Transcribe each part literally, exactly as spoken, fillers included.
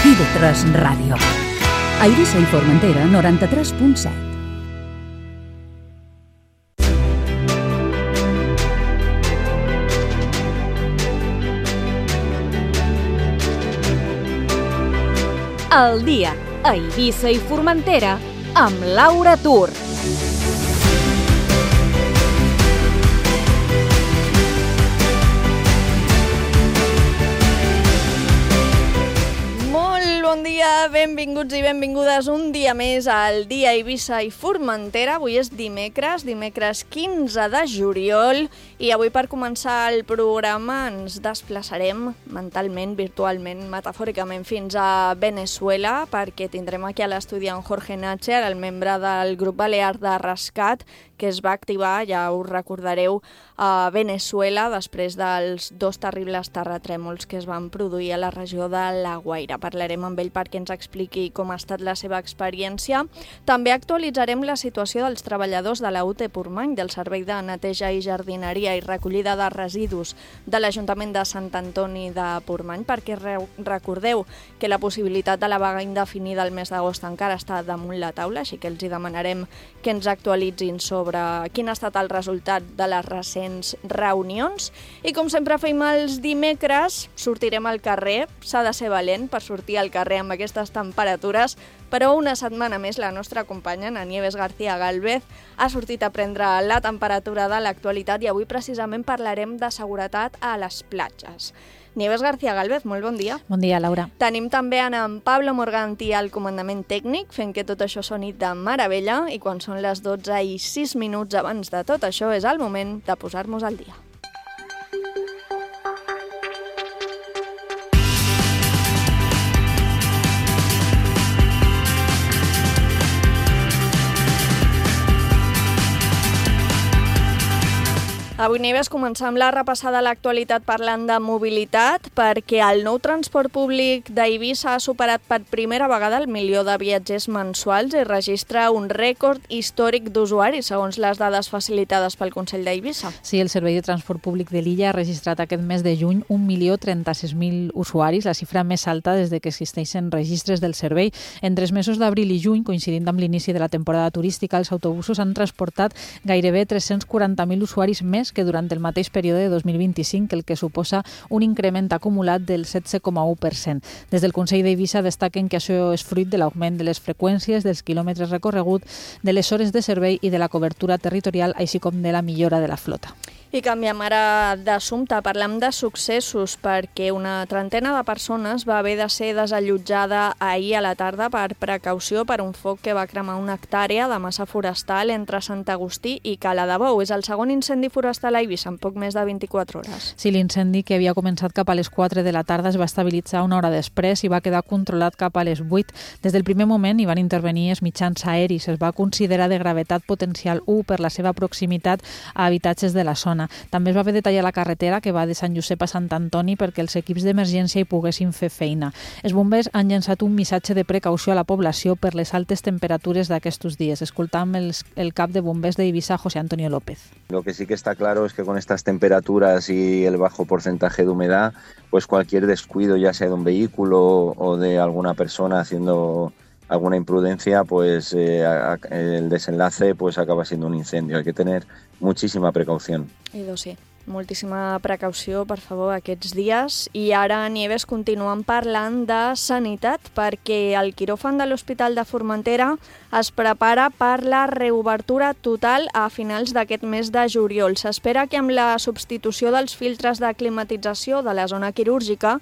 I V tres Ràdio. A Eivissa i Formentera, noranta-tres punt set. El dia a Eivissa i Formentera amb Laura Tur. Bon dia, benvinguts i benvingudes un dia més al dia Eivissa i Formentera. Avui és dimecres, dimecres quinze de juliol, i avui per començar el programa ens desplaçarem mentalment, virtualment, metafòricament fins a Veneçuela, perquè tindrem aquí a l'estudi en Jorge Nácher, el membre del grup balear de rescat, que es va activar, ja us recordareu, a Veneçuela després dels dos terribles terratrèmols que es van produir a la regió de La Guaira. Parlarem amb ell perquè ens expliqui com ha estat la seva experiència. També actualitzarem la situació dels treballadors de la U T Portmany, del Servei de Neteja i Jardineria i Recollida de Residus de l'Ajuntament de Sant Antoni de Portmany, perquè recordeu que la possibilitat de la vaga indefinida el mes d'agost encara està damunt la taula, així que els hi demanarem que ens actualitzin sobre quin ha estat el resultat de les recents reunions. I com sempre fem els dimecres, sortirem al carrer. S'ha de ser valent per sortir al carrer amb aquestes temperatures, però una setmana més la nostra companya, na Nieves García Gálvez, ha sortit a prendre la temperatura de l'actualitat i avui precisament parlarem de seguretat a les platges. Nieves García Gálvez, molt bon dia. Bon dia, Laura. Tenim també en Pablo Morganti al comandament tècnic, fent que tot això soni de meravella, i quan són les dotze i sis minuts abans de tot això és el moment de posar-nos al dia. Avui, Nieves, començam la repassada a l'actualitat parlant de mobilitat, perquè el nou transport públic d'Eivissa ha superat per primera vegada el milió de viatgers mensuals i registra un rècord històric d'usuaris, segons les dades facilitades pel Consell d'Eivissa. Sí, el Servei de Transport Públic de l'illa ha registrat aquest mes de juny un milió trenta-sis mil usuaris, la xifra més alta des de que existeixen registres del servei. Entre els mesos d'abril i juny, coincidint amb l'inici de la temporada turística, els autobusos han transportat gairebé tres-cents quaranta mil usuaris més que durant el mateix període de dos mil vint-i-cinc, el que suposa un increment acumulat del setze coma u per cent. Des del Consell d'Eivissa destaquen que això és fruit de l'augment de les freqüències, dels quilòmetres recorreguts, de les hores de servei i de la cobertura territorial, així com de la millora de la flota. I canviem ara d'assumpte, parlem de successos, perquè una trentena de persones va haver de ser desallotjada ahir a la tarda per precaució per un foc que va cremar una hectàrea de massa forestal entre Sant Agustí i Cala de Bou. És el segon incendi forestal a Eivissa en poc més de vint-i-quatre hores. Sí, l'incendi, que havia començat cap a les quatre de la tarda, es va estabilitzar una hora després i va quedar controlat cap a les vuit. Des del primer moment hi van intervenir els mitjans aeris. Es va considerar de gravetat potencial u per la seva proximitat a habitatges de la zona. També es va haver de tallar la carretera que va de Sant Josep a Sant Antoni perquè els equips d'emergència hi poguessin fer feina. Els bombers han llançat un missatge de precaució a la població per les altes temperatures d'aquests dies. Escoltam el, el cap de bombers d'Eivissa, José Antonio López. Lo que sí que está claro es que con estas temperaturas y el bajo porcentaje de humedad, pues cualquier descuido, ya sea de un vehículo o de alguna persona haciendo alguna imprudencia, pues eh, el desenlace pues acaba siendo un incendio. Hay que tener muchísima precaución. I doncs sí, moltíssima precaució, per favor, aquests dies. I ara, Nieves, continuem parlant de sanitat, perquè el quiròfan de l'Hospital de Formentera es prepara per la reobertura total a finals d'aquest mes de juliol. S'espera que amb la substitució dels filtres de climatització de la zona quirúrgica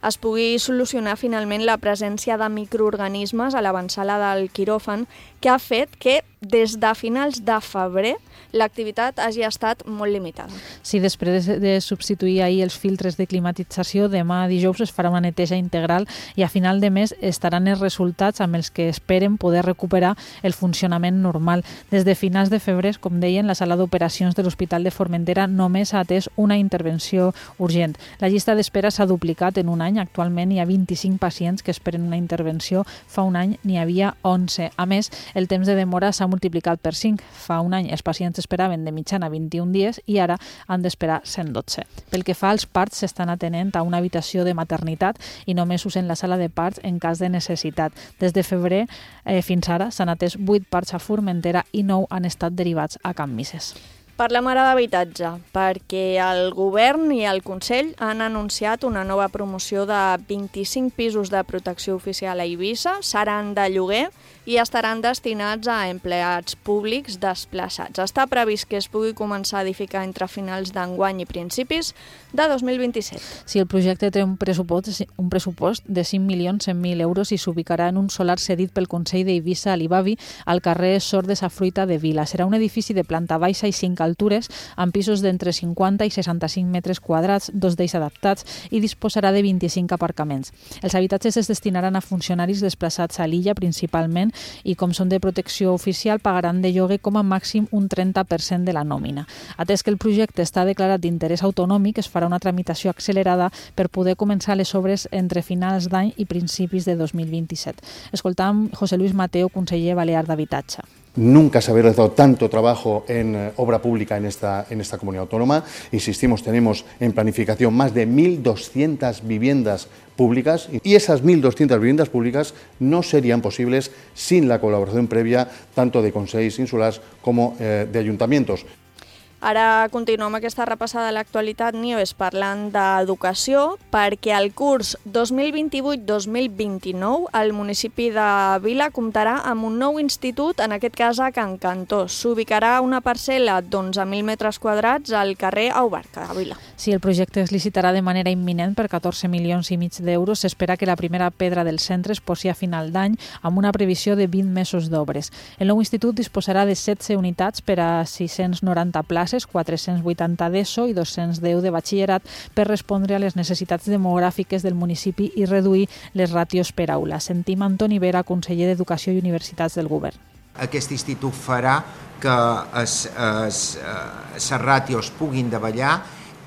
es pugui solucionar finalment la presència de microorganismes a l'avançala del quiròfan, que ha fet que des de finals de febrer l'activitat hagi estat molt limitada. Sí, després de substituir ahir els filtres de climatització, demà dijous es farà una neteja integral i a final de mes estaran els resultats amb els que esperen poder recuperar el funcionament normal. Des de finals de febrer, com deien, la sala d'operacions de l'Hospital de Formentera només ha atès una intervenció urgent. La llista d'espera s'ha duplicat en un any. Actualment hi ha vint-i-cinc pacients que esperen una intervenció. Fa un any n'hi havia onze. A més, el temps de demora s'ha s'ha multiplicat per cinc. Fa un any els pacients esperaven de mitjana vint-i-un dies i ara han d'esperar cent dotze. Pel que fa als parts, s'estan atenent a una habitació de maternitat i només usen la sala de parts en cas de necessitat. Des de febrer eh, fins ara s'han atès vuit parts a Formentera i nou han estat derivats a Can Misses. Parlem ara d'habitatge, perquè el govern i el Consell han anunciat una nova promoció de vint-i-cinc pisos de protecció oficial a Eivissa, seran de lloguer i estaran destinats a empleats públics desplaçats. Està previst que es pugui començar a edificar entre finals d'enguany i principis de dos mil vint-i-set. Si el projecte té un pressupost, un pressupost de cinc milions cent mil euros i s'ubicarà en un solar cedit pel Consell d'Eivissa a l'Ibavi al carrer Sor de sa Fruita de Vila. Serà un edifici de planta baixa i cinc altures, amb pisos d'entre cinquanta i seixanta-cinc metres quadrats, dos d'ells adaptats, i disposarà de vint-i-cinc aparcaments. Els habitatges es destinaran a funcionaris desplaçats a l'illa principalment i, com són de protecció oficial, pagaran de lloguer com a màxim un trenta per cent de la nòmina. Atès que el projecte està declarat d'interès autonòmic, es farà una tramitació accelerada per poder començar les obres entre finals d'any i principis de dos mil vint-i-set. Escoltam José Luis Mateo, conseller balear d'Habitatge. Nunca se había realizado tanto trabajo en eh, obra pública en esta, en esta comunidad autónoma. Insistimos, tenemos en planificación más de mil doscientas viviendas públicas y esas mil doscientas viviendas públicas no serían posibles sin la colaboración previa tanto de consells insulars como eh, de ayuntamientos. Ara continuem aquesta repassada a l'actualitat, Nieves, parlant d'educació, perquè el curs dos mil vint-i-vuit dos mil vint-i-nou el municipi de Vila comptarà amb un nou institut, en aquest cas a Can Cantós. S'ubicarà una parcel·la d'onze mil metres quadrats al carrer Aubarca, a Vila. Si el projecte es licitarà de manera imminent per catorze milions i mig d'euros, s'espera que la primera pedra del centre es posi a final d'any amb una previsió de vint mesos d'obres. El nou institut disposarà de setze unitats per a sis-cents noranta places, quatre-cents vuitanta d'ESO i dos-cents deu de batxillerat per respondre a les necessitats demogràfiques del municipi i reduir les ràtios per aula. Sentim Antoni Vera, conseller d'Educació i Universitats del Govern. Aquest institut farà que les ràtios puguin davallar,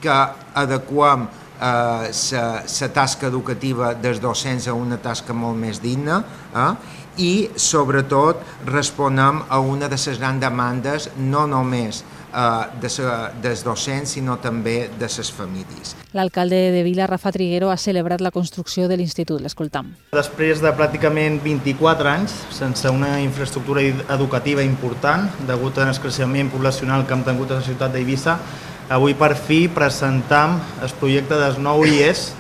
que adequem la tasca educativa dels docents a una tasca molt més digna eh? i, sobretot, responem a una de les grans demandes, no només dels docents, sinó també de les famílies. L'alcalde de Vila, Rafa Triguero, ha celebrat la construcció de l'institut. L'escoltam. Després de pràcticament vint-i-quatre anys, sense una infraestructura educativa important, degut al creixement poblacional que hem tingut a la ciutat d'Eivissa, avui per fi presentam el projecte del nou I E S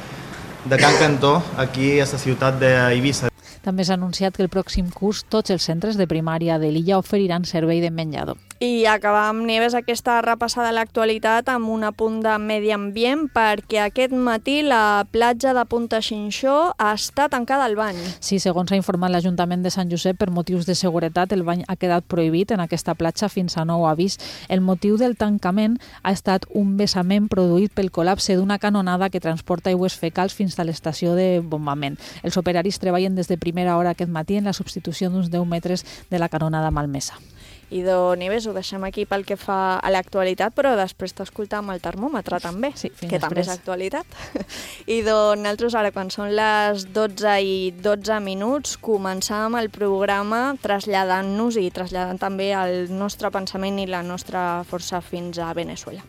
de Can Cantó aquí a la ciutat d'Eivissa. També s'ha anunciat que el pròxim curs tots els centres de primària de l'illa oferiran servei de menjador. I acabam, Nieves, aquesta repassada a l'actualitat amb un apunt de medi ambient, perquè aquest matí la platja de Punta Xinxó està tancada al bany. Sí, segons ha informat l'Ajuntament de Sant Josep, per motius de seguretat el bany ha quedat prohibit en aquesta platja fins a nou avís. El motiu del tancament ha estat un vessament produït pel col·lapse d'una canonada que transporta aigües fecals fins a l'estació de bombament. Els operaris treballen des de primera hora aquest matí en la substitució d'uns deu metres de la canonada malmesa. Idò, Nieves, ho deixem aquí pel que fa a l'actualitat, però després t'escoltam el termòmetre també, sí, que després. també és actualitat. Idò, nosaltres ara, quan són les dotze i dotze minuts, començàvem el programa traslladant-nos i traslladant també el nostre pensament i la nostra força fins a Veneçuela.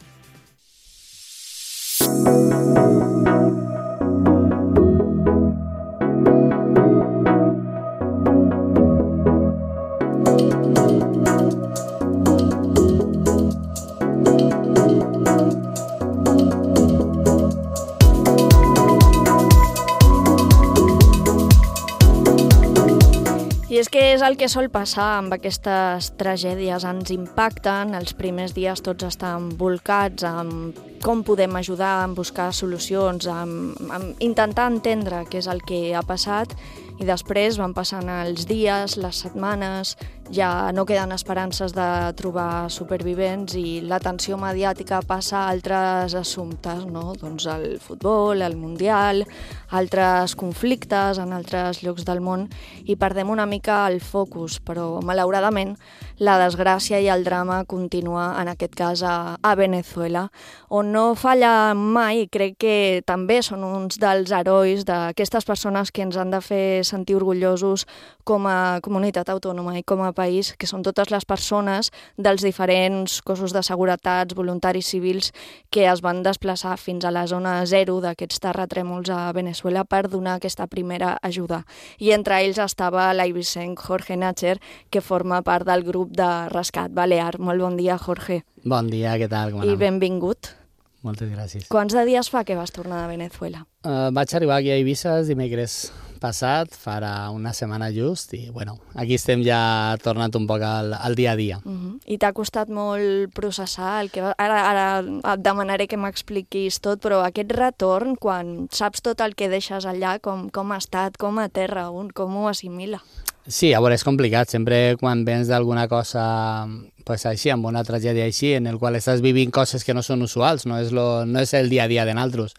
I és que és el que sol passar amb aquestes tragèdies, ens impacten, els primers dies tots estan volcats amb com podem ajudar, en buscar solucions, amb, amb intentar entendre què és el que ha passat, i després van passant els dies, les setmanes, ja no queden esperances de trobar supervivents i l'atenció mediàtica passa a altres assumptes, no? Doncs el futbol, el mundial, altres conflictes en altres llocs del món, i perdem una mica el focus, però malauradament la desgràcia i el drama continua, en aquest cas a, a Veneçuela, on no falla mai, crec que també són uns dels herois d'aquestes persones que ens han de fer sentir orgullosos com a comunitat autònoma i com a país, que són totes les persones dels diferents cossos de seguretat, voluntaris civils, que es van desplaçar fins a la zona zero d'aquests terratrèmols a Venezuela per donar aquesta primera ajuda. I entre ells estava l'eivissenc Jorge Nácher, que forma part del grup de rescat balear. Molt bon dia, Jorge. Bon dia, què tal? Com I anem? benvingut. Moltes gràcies. Quants de dies fa que vas tornar de Venezuela? Uh, vaig arribar aquí a Eivissa el dimecres passat, farà una setmana just, i bueno, aquí estem ja tornant un poc al, al dia a dia. Uh -huh. I t'ha costat molt processar el que va... Ara, ara et demanaré que m'expliquis tot, però aquest retorn, quan saps tot el que deixes allà, com, com ha estat, com aterra un, com ho assimila? Sí, a veure, és complicat. Sempre quan vens d'alguna cosa pues, així, amb una tragèdia així, en el qual estàs vivint coses que no són usuals, no és, lo, no és el dia a dia de naltros.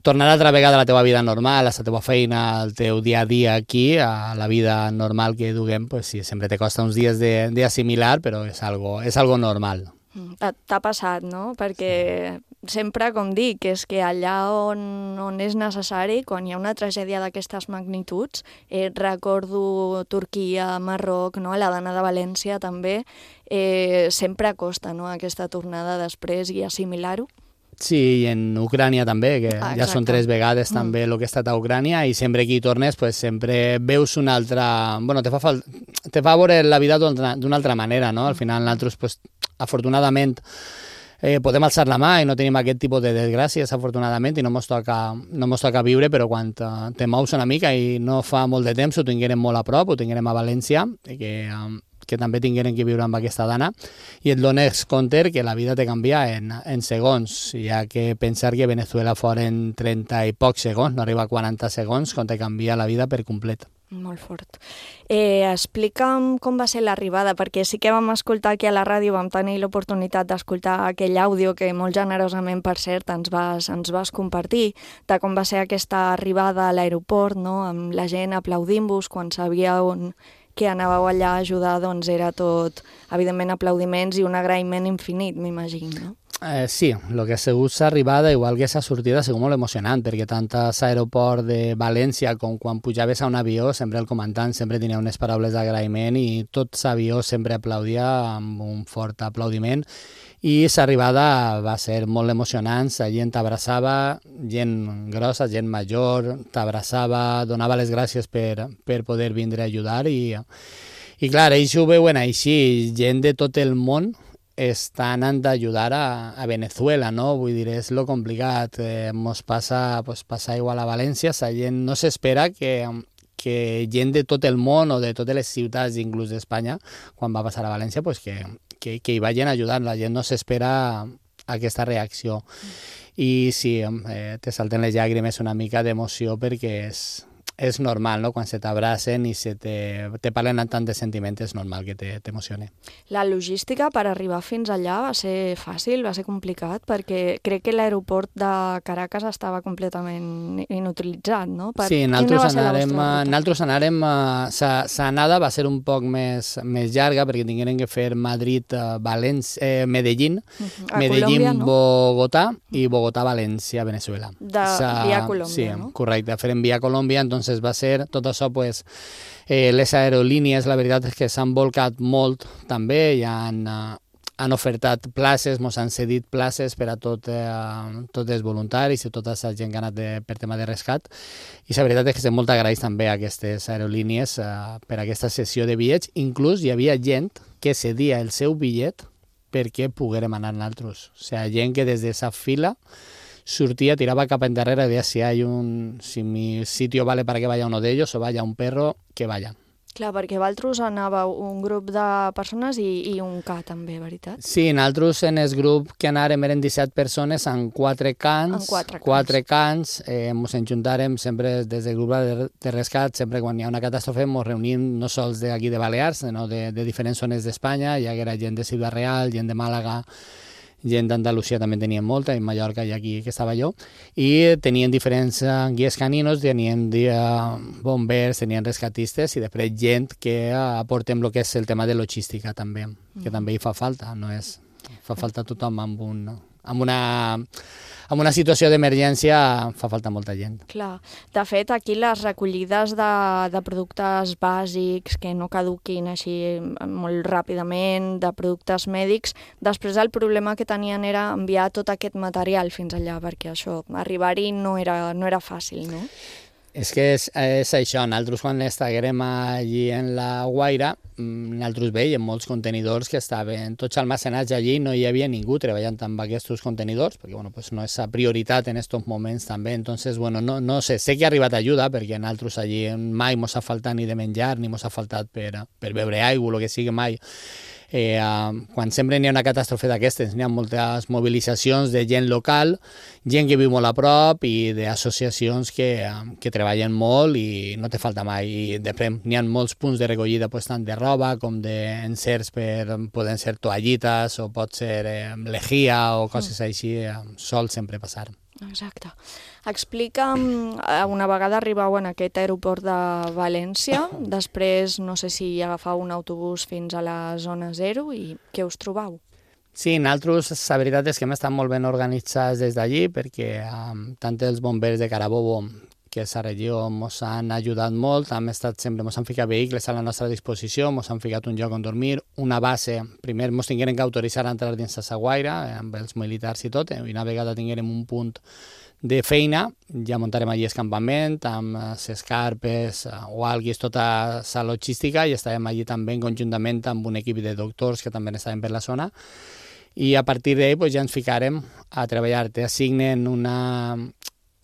Tornar altra vegada a la teva vida normal, a la teva feina, al teu dia a dia aquí, a la vida normal que duguem, pues sí, sempre te costa uns dies d'assimilar, però és algo, és algo normal. T'ha passat, no? Perquè sempre, com dic, és que allà on, on és necessari, quan hi ha una tragèdia d'aquestes magnituds, eh, recordo Turquia, Marroc, no? La Dana de València també, eh, sempre costa, no? Aquesta tornada després i assimilar-ho. Sí, i en Ucrània també, que ah, ja són tres vegades mm. també el que he estat a Ucrània, i sempre que hi tornes pues, sempre veus una altra... Bueno, te fa, fal... te fa veure la vida d'una altra manera, no? Al final nosaltres, pues, afortunadament, eh, podem alçar la mà i no tenim aquest tipus de desgràcies, afortunadament, i no mos toca, no mos toca viure, però quan te mous una mica i no fa molt de temps ho tinguérem molt a prop, ho tinguérem a València, que... Um, que també tingueren que viure amb aquesta dana, i et dones compte que la vida te canvia en, en segons, ja que pensar que Venezuela foren trenta i pocs segons, no arriba a quaranta segons, quan te canvia la vida per complet. Molt fort. Eh, explica'm com va ser l'arribada, perquè sí que vam escoltar aquí a la ràdio, vam tenir l'oportunitat d'escoltar aquell àudio que molt generosament, per cert, ens vas, ens vas compartir, de com va ser aquesta arribada a l'aeroport, no? Amb la gent aplaudint-vos quan sabia on... que anàveu allà a ajudar, doncs era tot, evidentment, aplaudiments i un agraïment infinit, m'imagino, no? Eh, sí, el que ha sigut l'arribada, igual que sa sortida, ha sigut molt emocionant, perquè tant a l'aeroport de València com quan pujaves a un avió, sempre el comandant sempre tenia unes paraules d'agraïment i tot l'avió sempre aplaudia amb un fort aplaudiment. I l'arribada va ser molt emocionant, la gent t'abraçava, gent grossa, gent major, t'abraçava, donava les gràcies per, per poder vindre a ajudar, i, i clar, ells ho veuen així, gent de tot el món està anant a ajudar a, a Venezuela, no? Vull dir, és lo complicat, eh, mos passa, pues, passa igual a València, la gent no s'espera que, que gent de tot el món o de totes les ciutats, inclús d'Espanya, quan va passar a València, pues que Que, que hi vagin ajudant, la gent no s'espera aquesta reacció. I sí, eh, te salten les llàgrimes una mica d'emoció, perquè és, és normal, no? Quan se t'abracen i se te, te parlen amb tant de sentiments, és normal que t'emocione. La logística per arribar fins allà va ser fàcil, va ser complicat, perquè crec que l'aeroport de Caracas estava completament inutilitzat, no? Per... Sí, nosaltres anàrem, nosaltres anàrem l'anada va ser un poc més, més llarga, perquè tingueren que fer Madrid, València, eh, Medellín, uh -huh. Medellín, Colòmbia, no? Bogotà, i Bogotà-València, Venezuela. De Sa... via Colòmbia, sí, no? Correcte, feren via Colòmbia, entonces va ser tot això, pues, eh, les aerolínies, la veritat és que s'han volcat molt també, ja han, uh, han ofertat places, mos han cedit places per a tot, eh, tots els voluntaris i tota la gent que ha anat de, per tema de rescat, i la veritat és que estem molt agraïts també a aquestes aerolínies uh, per aquesta sessió de bitllets. Inclús hi havia gent que cedia el seu bitllet perquè poguérem anar nosaltres, o sigui, gent que des de esa fila sortia, tiraba cap endarrere, deia si hay un, si mi sitio vale para que vaya uno de ellos o vaya un perro, que vaya. Clar, perquè vosaltres anàveu un grup de persones i, i un ca també, veritat? Sí, nosaltres en el grup que anàrem eren disset persones en quatre cans, en quatre cans, quatre cans eh, ens enjuntàrem sempre des del grup de, de rescat, sempre quan hi ha una catàstrofe ens reunim no sols d'aquí de Balears, sinó de, de diferents zones d'Espanya, ja que era gent de Ciutat Real, gent de Màlaga, gent d'Andalusia també tenien molta, en Mallorca i aquí que estava jo, i tenien diferents uh, guies caninos, tenien uh, bombers, tenien rescatistes, i després gent que uh, aportem el que és el tema de logística també, que mm. també hi fa falta, no és, fa falta tothom amb un, amb una, amb una situació d'emergència fa falta molta gent. Clar. De fet, aquí les recollides de, de productes bàsics que no caduquin així molt ràpidament, de productes mèdics, després el problema que tenien era enviar tot aquest material fins allà, perquè això, arribar-hi no era, no era fàcil, no? És que és, és això, nosaltres quan estàvem allí en la Guaira, nosaltres veiem molts contenidors que estaven tots almacenats allí, no hi havia ningú treballant amb aquests contenidors, perquè bueno, pues no és la prioritat en aquests moments també, entonces bueno, no, no sé, sé que ha arribat ajuda, perquè nosaltres allí mai mos ha faltat ni de menjar, ni mos ha faltat per, per beure aigua, el que sigui mai. Eh, uh, quan sempre n'hi ha una catàstrofe d'aquestes, n'hi ha moltes mobilitzacions de gent local, gent que viu molt a prop i d'associacions que, uh, que treballen molt i no te falta mai. I després n'hi ha molts punts de recollida, pues, tant de roba com d'encerts, per, poden ser toallites o pot ser eh, lejia o coses mm. així, eh, sol sempre passar. Exacte. Explica'm, una vegada arribau en aquest aeroport de València, després no sé si agafau un autobús fins a la zona zero i què us trobau? Sí, nosaltres la veritat és que hem estat molt ben organitzats des d'allí perquè um, tant els bombers de Carabobo que és la regió ens han ajudat molt, hem estat sempre, ens han ficat vehicles a la nostra disposició, ens han ficat un lloc on dormir, una base, primer ens tingueren que autoritzar a entrar dins la Guaira, amb els militars i tot, i una vegada tinguérem un punt de feina, ja muntarem allí el campament, amb les carpes o alguis, tota la logística, i estàvem allí també conjuntament amb un equip de doctors que també estaven per la zona, i a partir d'ahí pues, ja ens ficarem a treballar. Te assignen una,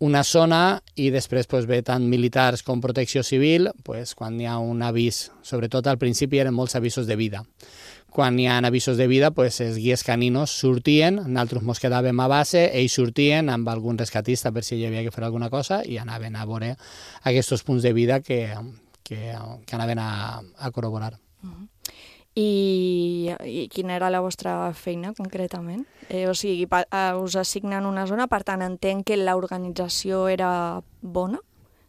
una zona i després pues, ve tant militars com protecció civil, pues, quan hi ha un avís, sobretot al principi eren molts avisos de vida. Quan hi ha avisos de vida, pues, els guies caninos sortien, nosaltres ens quedàvem a base, ells sortien amb algun rescatista per si hi havia que fer alguna cosa i anaven a veure aquests punts de vida que, que, que anaven a, a corroborar. Uh-huh. I, I quina era la vostra feina concretament? Eh, o sigui, pa, uh, us assignen una zona, per tant entenc que l'organització era bona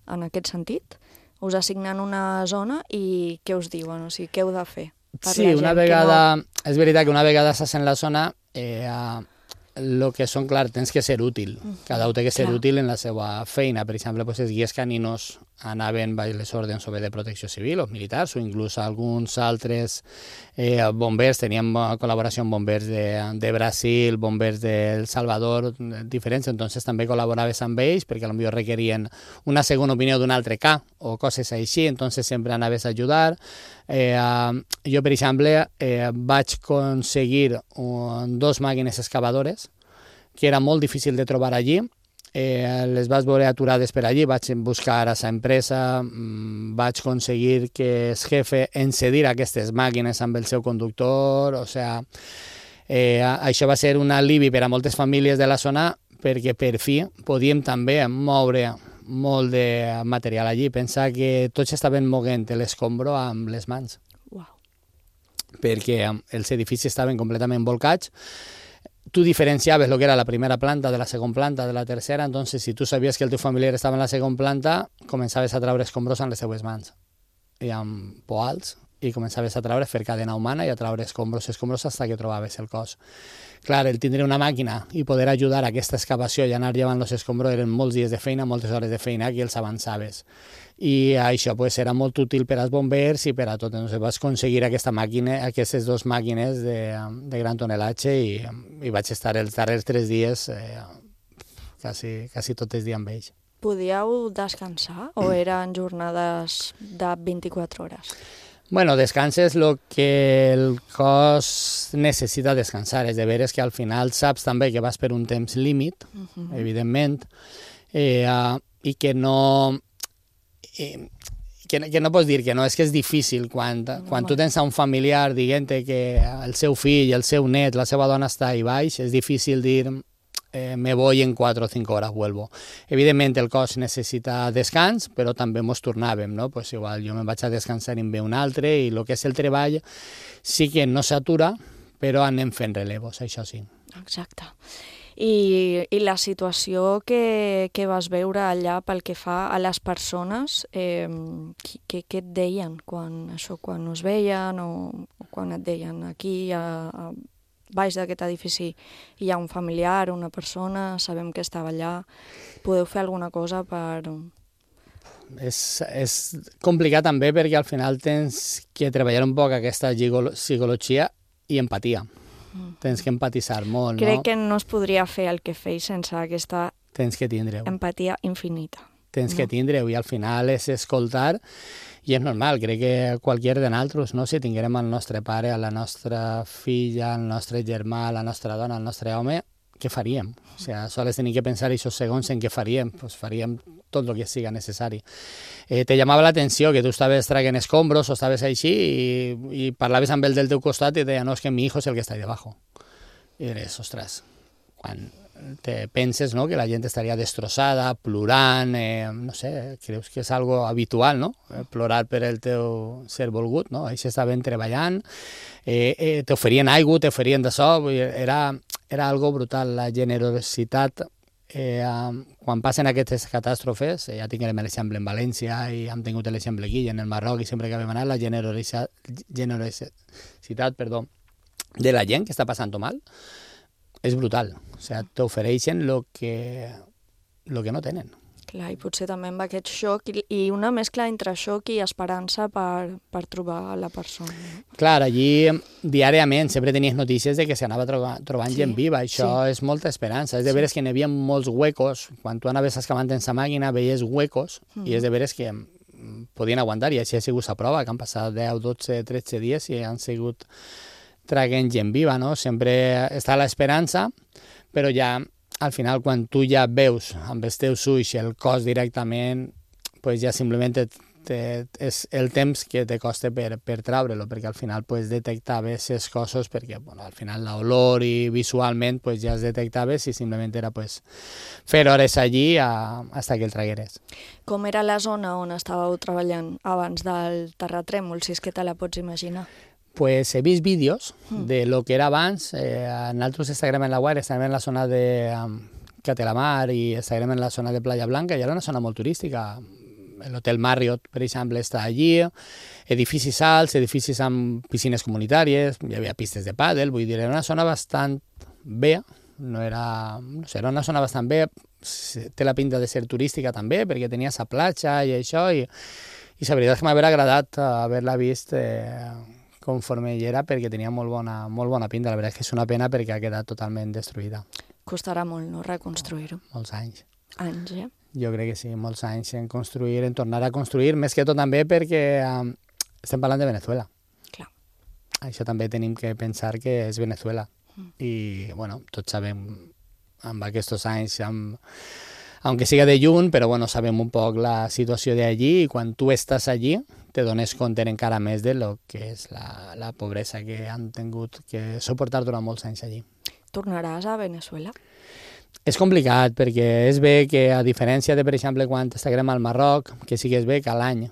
en aquest sentit. Us assignen una zona i què us diuen? O sigui, què heu de fer? Sí, una vegada, no... és veritat que una vegada estàs en la zona, eh, el que són, clar, tens que ser útil. Cada un té que ser clar. útil en la seva feina. Per exemple, pues, els guies caninos anaven baix les ordres o bé de protecció civil o militars o inclús alguns altres eh, bombers, teníem col·laboració amb bombers de, de Brasil, bombers de Salvador, diferents, entonces també col·laboraves amb ells perquè potser requerien una segona opinió d'un altre K o coses així, entonces sempre anaves a ajudar. Eh, jo, per exemple, eh, vaig aconseguir un, dos màquines excavadores que era molt difícil de trobar allí. Eh, les vaig veure aturades per allí, vaig buscar a la empresa, mmm, vaig aconseguir que el jefe encedir aquestes màquines amb el seu conductor, o sea, eh, això va ser un alivi per a moltes famílies de la zona perquè per fi podíem també moure molt de material allí. Pensa que tots estaven moguent l'escombro amb les mans, wow. perquè els edificis estaven completament volcats. Tu diferenciaves el que era la primera planta de la segona planta, de la tercera, entonces si tu sabies que el teu familiar estava en la segona planta, començaves a treure escombros amb les seues mans i amb poals, i començaves a treure, fer cadena humana i a treure escombros, escombros, fins que trobaves el cos. Clar, el tindre una màquina i poder ajudar a aquesta excavació i anar llevant els escombros eren molts dies de feina, moltes hores de feina que els avançaves. I això pues, era molt útil per als bombers i per a tot. Entonces, vaig aconseguir aquesta màquina, aquestes dues màquines de, de gran tonelatge i, i vaig estar els darrers tres dies eh, quasi, quasi tot el dia amb ells. Podíeu descansar o eren jornades de vint-i-quatre hores? Bueno, descanses el que el cos necessita descansar. És de veres que al final saps també que vas per un temps límit, uh-huh. evidentment, eh, uh, i que no... Eh, que, que no pots dir que no, és que és difícil quan, quan tu tens un familiar dient que el seu fill, el seu net, la seva dona està ahí baix, és difícil dir eh, me voy en quatre o cinc hores, vuelvo. Evidentment el cos necessita descans, però també mos tornàvem, no? Pues igual jo me'n vaig a descansar i en ve un altre, i el que és el treball sí que no s'atura, però anem fent relevos, això sí. Exacte. I, i la situació que, que vas veure allà pel que fa a les persones, eh, què, què et deien quan, això, quan us veien o, o quan et deien aquí a, a, baix d'aquest edifici hi ha un familiar, una persona, sabem que estava allà, podeu fer alguna cosa per... És, és complicat també perquè al final tens que treballar un poc aquesta psicologia i empatia. Mm. Tens que empatitzar molt, Crec no? que no es podria fer el que feis sense aquesta Tens que tindre-ho. empatia infinita. Tens no? que tindre-ho i al final és escoltar i és normal, crec que qualsevol de nosaltres, no? Si tinguérem el nostre pare, la nostra filla, el nostre germà, la nostra dona, el nostre home, què faríem? O sigui, sols tenim que pensar aquests segons en què faríem, pues faríem tot el que siga necessari. Eh, te llamava l'atenció que tu estaves traient escombros o estaves així i, i parlaves amb el del teu costat i deia, no, és que mi hijo és el que està ahí debajo. I dius, ostres, quan te penses, no?, que la gent estaria destrossada, plorant, eh, no sé, creus que és algo habitual, no?, eh, plorar per el teu ser volgut, no? Ells estaven treballant, eh, eh, t'oferien aigua, t'oferien d'això, era, era algo brutal, la generositat. Eh, quan passen aquestes catàstrofes, eh, ja tinguem l'exemple en València i hem tingut l'exemple aquí en el Marroc i sempre que vam anar, la generositat, generositat perdó, de la gent que està passant-ho mal, és brutal. O sigui, t'ofereixen el que, lo que no tenen. Clar, i potser també amb aquest xoc i, i una mescla entre xoc i esperança per, per trobar la persona. No? Clar, allí diàriament sempre tenies notícies de que s'anava troba, trobant sí, gent viva. Això sí. És molta esperança. És de veres sí. que n'hi havia molts huecos. Quan tu anaves excavant en sa màquina veies huecos mm. i és de veres que podien aguantar i així ha sigut la prova, que han passat deu, dotze, tretze dies i han sigut traient gent viva, no? Sempre està l'esperança, però ja al final quan tu ja veus amb els teus ulls el cos directament, pues ja simplement te, te, és el temps que te costa per, per treure-lo, perquè al final pues, detectaves els cossos, perquè bueno, al final l'olor i visualment pues, ja es detectaves i simplement era pues, fer hores allí a, hasta que el tragueres. Com era la zona on estàveu treballant abans del terratrèmol, si és que te la pots imaginar? Pues he vist vídeos de lo que era abans. Eh, nosaltres estarem en la Guaira, estarem en la zona de um, Catelamar i estarem en la zona de Playa Blanca, i era una zona molt turística. L'hotel Marriott, per exemple, està allí, edificis alts, edificis amb piscines comunitàries, hi havia pistes de pàdel, vull dir, era una zona bastant bé, no era, no sé, era una zona bastant bé, té la pinta de ser turística també, perquè tenia sa platja i això, i, i la veritat és que m'ha agradat haver-la vist eh, conforme hi era, perquè tenia molt bona, molt bona pinta. La veritat és que és una pena perquè ha quedat totalment destruïda. Costarà molt, no?, reconstruir-ho. Molts anys. Anys, eh? Jo crec que sí, molts anys en construir, en tornar a construir, més que tot també perquè um, estem parlant de Venezuela. Clar. Això també tenim que pensar que és Venezuela. Mm. I, bueno, tots sabem, amb aquests anys, amb, aunque siga de lluny, però bueno, sabem un poc la situació d'allí, i quan tu estàs allí te dones compte encara més de lo que és la, la pobresa que han tingut que suportar durant molts anys allí. Tornaràs a Venezuela? És complicat, perquè és bé que, a diferència de, per exemple, quan estiguem al Marroc, que sí que és bé que a l'any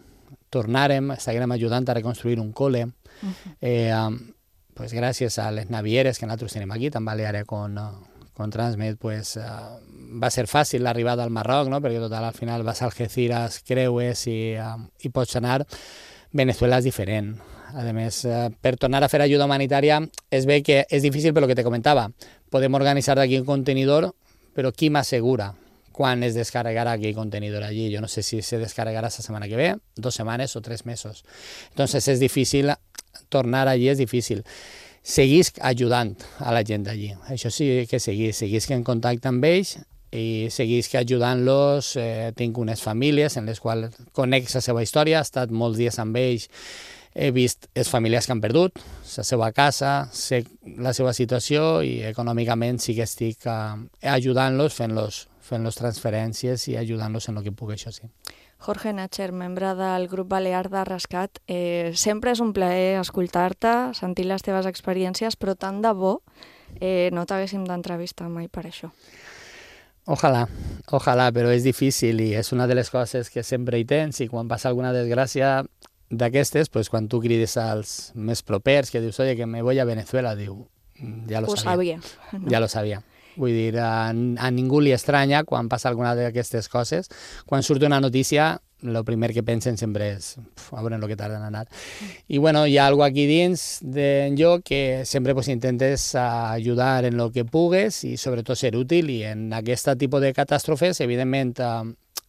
tornarem, estiguem ajudant a reconstruir un col·le, uh-huh. eh, pues, gràcies a les navieres que nosaltres tenim aquí, tan Baleare con, con Transmed, pues, uh, va ser fàcil l'arribada al Marroc, no? Perquè total, al final vas a Algeciras, creues i, uh, i pots anar. Venezuela és diferent. A més, uh, per tornar a fer ajuda humanitària és bé que és difícil per lo que te comentava. Podem organitzar d'aquí un contenidor, però qui m'assegura quan es descarregarà aquell contenidor allí? Jo no sé si se descarregarà la setmana que ve, dos setmanes o tres mesos. Entonces és difícil, tornar allí és difícil. Seguís ajudant a la gent d'allí. Això sí que seguís, seguís en contacte amb ells i seguís que ajudant-los. Eh, tinc unes famílies en les quals conec la seva història, he estat molts dies amb ells, he vist les famílies que han perdut la seva casa, sé la seva situació i econòmicament sí que estic uh, ajudant-los, fent-los fent-los transferències i ajudant-los en el que puc, això sí. Jorge Natcher, membre del grup Balear de Rescat, eh, sempre és un plaer escoltar-te, sentir les teves experiències, però tant de bo eh, no t'haguéssim d'entrevistar mai per això. Ojalà, ojalà, però és difícil i és una de les coses que sempre hi tens, i quan passa alguna desgràcia d'aquestes, pues, quan tu crides als més propers, que dius, oye, que me voy a Venezuela, diu, ja lo Ho sabia. sabia. No? Ja lo sabia. Vull dir, a, a ningú li estranya quan passa alguna d'aquestes coses. Quan surt una notícia, el primer que pensen sempre és uf, a veure el que tarden a anar. I bueno, hi ha alguna aquí dins de jo que sempre pues, intentes ajudar en el que pugues i sobretot ser útil, i en aquest tipus de catàstrofes, evidentment, eh,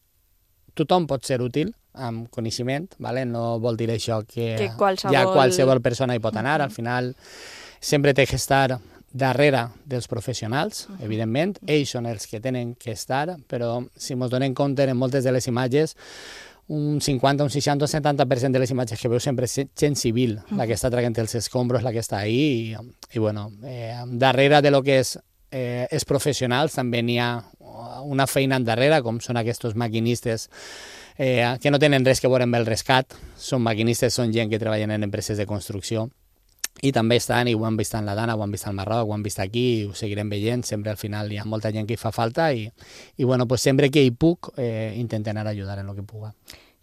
tothom pot ser útil amb coneixement, vale? No vol dir això que, que qualsevol... ja qualsevol persona hi pot anar. Al final sempre té que estar darrere dels professionals, evidentment. Ells són els que tenen que estar, però si ens donem compte en moltes de les imatges, un cinquanta, un seixanta, un setanta per cent de les imatges que veu sempre és gent civil, la que està traient els escombros, la que està ahí, i, i bueno, eh, darrere de lo que és eh, els professionals també n'hi ha una feina darrere, com són aquests maquinistes eh, que no tenen res que veure amb el rescat, són maquinistes, són gent que treballen en empreses de construcció, i també estan, i ho han vist en la Dana, ho han vist al Marroc, ho han vist aquí, i ho seguirem veient, sempre al final hi ha molta gent que hi fa falta, i, i bueno, pues sempre que hi puc eh, intento anar a ajudar en el que puga.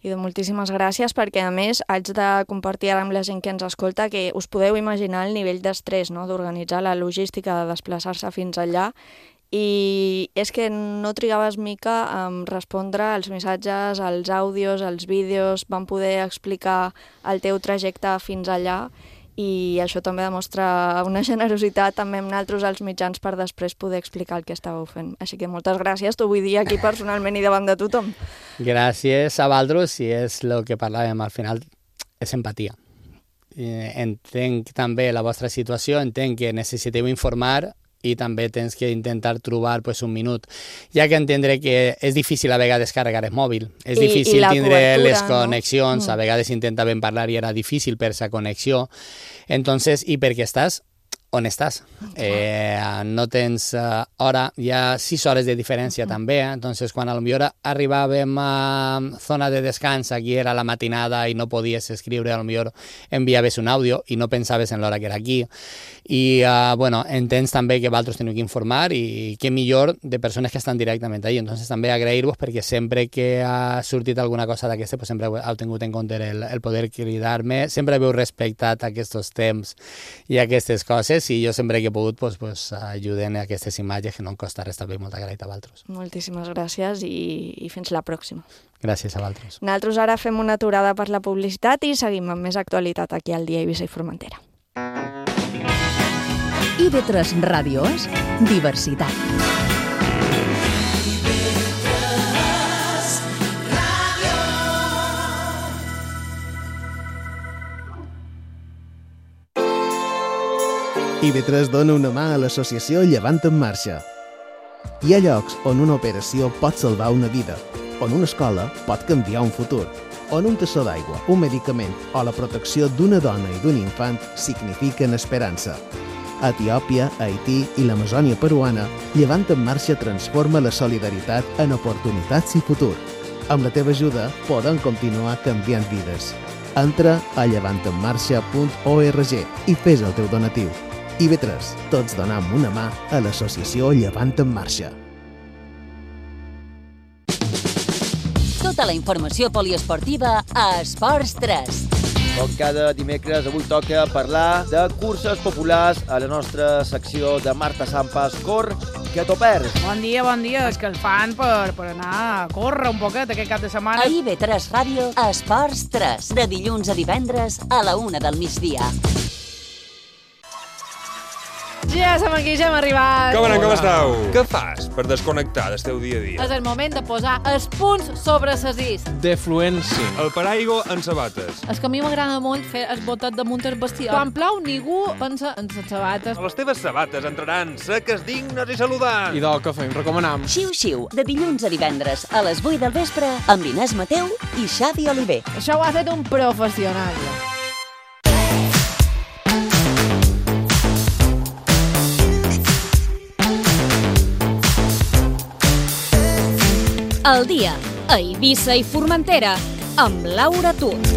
I doncs moltíssimes gràcies, perquè a més haig de compartir ara amb la gent que ens escolta que us podeu imaginar el nivell d'estrès, no?, d'organitzar la logística, de desplaçar-se fins allà, i és que no trigaves mica en respondre als missatges, als àudios, als vídeos, vam poder explicar el teu trajecte fins allà, i això també demostra una generositat també amb nosaltres als mitjans per després poder explicar el que estàveu fent. Així que moltes gràcies, t'ho vull dir aquí personalment i davant de tothom. Gràcies a vosaltres, i és el que parlàvem al final, és empatia. Entenc també la vostra situació, entenc que necessiteu informar, i també tens que intentar trobar pues, un minut. Hi ha que entendre que és difícil a vegades carregar el mòbil, és I, difícil i tindre cobertura, les connexions, no? a vegades intentaven parlar i era difícil per sa connexió. Entonces, i perquè estàs on estàs. Eh, no tens uh, hora, hi ha sis hores de diferència uh-huh. també, eh? Entonces quan potser arribàvem a zona de descans, aquí era la matinada i no podies escriure, potser enviaves un àudio i no pensaves en l'hora que era aquí. I, uh, bueno, entens també que vosaltres teniu que informar, i que millor de persones que estan directament allà. Entonces també agrair-vos, perquè sempre que ha sortit alguna cosa d'aquesta, pues sempre heu tingut en compte el, el poder cridar-me, sempre heu respectat aquests temps i aquestes coses, i jo sempre que he pogut pues, pues, ajuden a aquestes imatges, que no em costa res, també molta gràcies a vosaltres. Moltíssimes gràcies i, i fins la pròxima. Gràcies a vosaltres. Nosaltres ara fem una aturada per la publicitat i seguim amb més actualitat aquí al Dia Eivissa i Formentera. I V tres Ràdio és diversitat. I V tres dona una mà a l'associació Llevant en Marxa. Hi ha llocs on una operació pot salvar una vida, on una escola pot canviar un futur, on un tassó d'aigua, un medicament o la protecció d'una dona i d'un infant signifiquen esperança. A Etiòpia, Haití i l'Amazònia peruana, Llevant en Marxa transforma la solidaritat en oportunitats i futur. Amb la teva ajuda podem continuar canviant vides. Entra a llevant en marxa punt org i fes el teu donatiu. I V tres, tots donam una mà a l'associació Llevant en Marxa. Tota la informació poliesportiva a Esports tres. Com cada dimecres, avui toca parlar de curses populars a la nostra secció de Marta Sampas, Cor, que t'ho perds. Bon dia, bon dia. És que el fan per, per anar a córrer un poquet aquest cap de setmana. A I V tres Ràdio, Esports tres, de dilluns a divendres a la una del migdia. Ja som aquí, ja hem arribat. Com anem, com esteu? Què fas per desconnectar del teu dia a dia? És el moment de posar els punts sobre les is. Defluència. El paraigua en sabates. És que a mi m'agrada molt fer el botet damunt el vestidor. Quan plou, ningú pensa en les sabates. Les teves sabates entraran seques, dignes i saludants. I del que fem, recomanam. Xiu Xiu, de dilluns a divendres a les vuit del vespre amb l'Inés Mateu i Xavi Oliver. Això ho ha fet un professional. El dia a Eivissa i Formentera amb Laura Tut.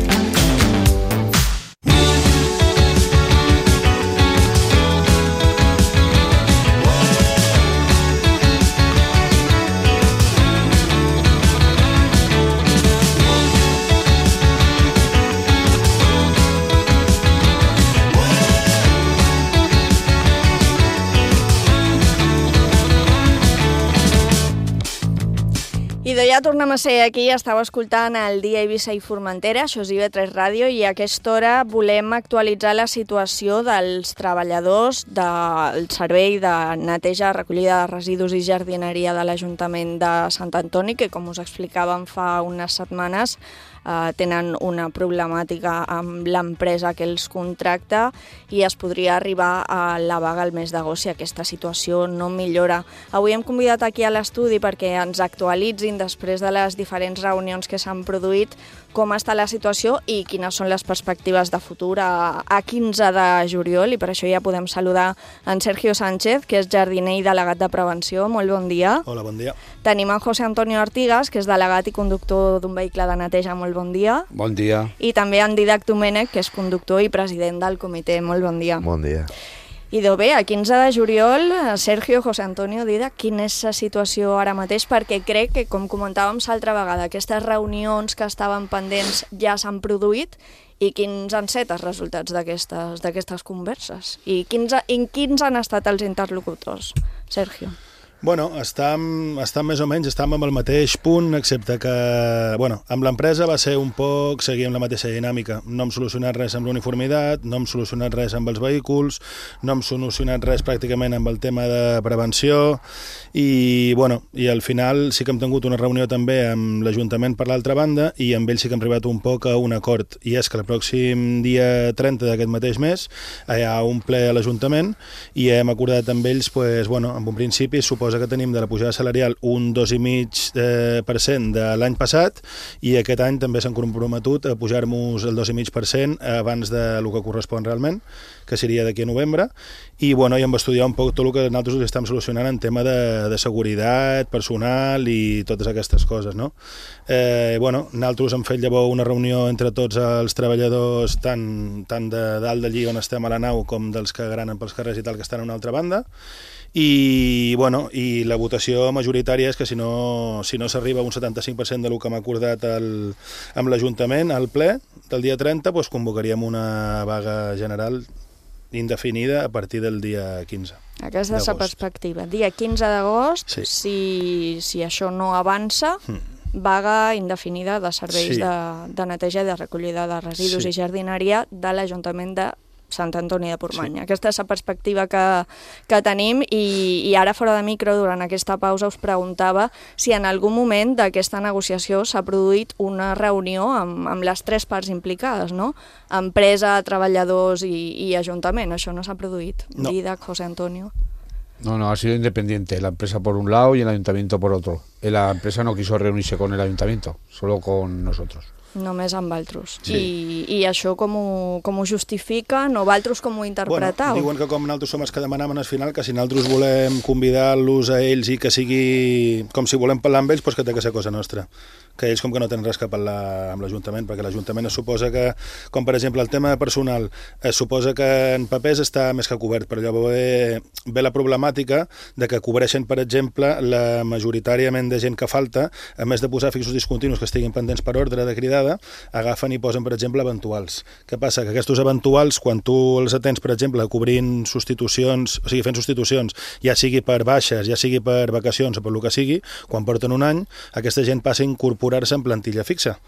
ja tornem a ser aquí, estàu escoltant el Dia Eivissa i Formentera, això és I V tres Ràdio, i a aquesta hora volem actualitzar la situació dels treballadors del servei de neteja, recollida de residus i jardineria de l'Ajuntament de Sant Antoni, que com us explicàvem fa unes setmanes, Uh, tenen una problemàtica amb l'empresa que els contracta i es podria arribar a la vaga el mes d'agost si aquesta situació no millora. Avui hem convidat aquí a l'estudi perquè ens actualitzin després de les diferents reunions que s'han produït com està la situació i quines són les perspectives de futur a, a quinze de juliol, i per això ja podem saludar en Sergio Sánchez, que és jardiner i delegat de prevenció. Molt bon dia. Hola, bon dia. Tenim en José Antonio Artigas, que és delegat i conductor d'un vehicle de neteja. Molt bon dia. Bon dia. I també en Didac Domènech, que és conductor i president del comitè. Molt bon dia. Bon dia. I doncs bé, a quinze de juliol, Sergio, José Antonio, Didac, quina és la situació ara mateix? Perquè crec que, com comentàvem l'altra vegada, aquestes reunions que estaven pendents ja s'han produït, i quins han set els resultats d'aquestes converses? I quins, i quins han estat els interlocutors, Sergio? Bueno, estem, estem més o menys, estem amb el mateix punt, excepte que, bueno, amb l'empresa va ser un poc, seguir amb la mateixa dinàmica. No hem solucionat res amb l'uniformitat, no hem solucionat res amb els vehicles, no hem solucionat res pràcticament amb el tema de prevenció, i, bueno, i al final sí que hem tingut una reunió també amb l'Ajuntament per l'altra banda, i amb ells sí que hem arribat un poc a un acord, i és que el pròxim dia trenta d'aquest mateix mes hi ha un ple a l'Ajuntament, i hem acordat amb ells, pues, bueno, en un principi suposo que tenim de la pujada salarial un dos coma cinc per cent de l'any passat, i aquest any també s'han comprometut a pujar-nos el dos coma cinc per cent abans del que correspon realment, que seria d'aquí a novembre, i bueno, ja hem estudiat un poc tot el que nosaltres estem solucionant en tema de, de seguretat, personal i totes aquestes coses, no? Eh, bueno, nosaltres hem fet llavors una reunió entre tots els treballadors, tant, tant de dalt d'allí on estem a la nau com dels que granen pels carrers i tal, que estan a una altra banda, i, bueno, i la votació majoritària és que si no, si no s'arriba a un setanta-cinc per cent del que hem acordat el, amb l'Ajuntament al ple del dia trenta, doncs convocaríem una vaga general indefinida a partir del dia quinze. Aquesta és la perspectiva. Dia quinze d'agost, sí. si, si això no avança, mm. vaga indefinida de serveis sí. de, de neteja i de recollida de residus sí. i jardineria de l'Ajuntament de Sant Antoni de Portmany. Sí. Aquesta és la perspectiva que, que tenim, i, i ara fora de micro, durant aquesta pausa, us preguntava si en algun moment d'aquesta negociació s'ha produït una reunió amb, amb les tres parts implicades, no? Empresa, treballadors i, i Ajuntament. Això no s'ha produït. No. Didac, José Antonio. No, no, ha sido independiente, la empresa por un lado y el ayuntamiento por otro. La empresa no quiso reunirse con el ayuntamiento, solo con nosotros. Només amb altres. Sí. I, I això com ho, com ho justifiquen, o altres com ho interpretau? Bueno, diuen que com nosaltres som els que demanaven al final, que si nosaltres volem convidar-los a ells i que sigui com si volem parlar amb ells, doncs que té que ser cosa nostra. Que ells com que no tenen res que parlar amb l'Ajuntament, perquè l'Ajuntament es suposa que, com per exemple el tema de personal, es suposa que en papers està més que cobert, però llavors ve, ve la problemàtica de que cobreixen, per exemple, la majoritàriament de gent que falta, a més de posar fixos discontinus que estiguin pendents per ordre de cridada, agafen i posen, per exemple, eventuals. Què passa? Que aquests eventuals, quan tu els atens, per exemple, cobrint substitucions, o sigui, fent substitucions, ja sigui per baixes, ja sigui per vacacions o per el que sigui, quan porten un any, aquesta gent passa a incorporar-se en plantilla fixa.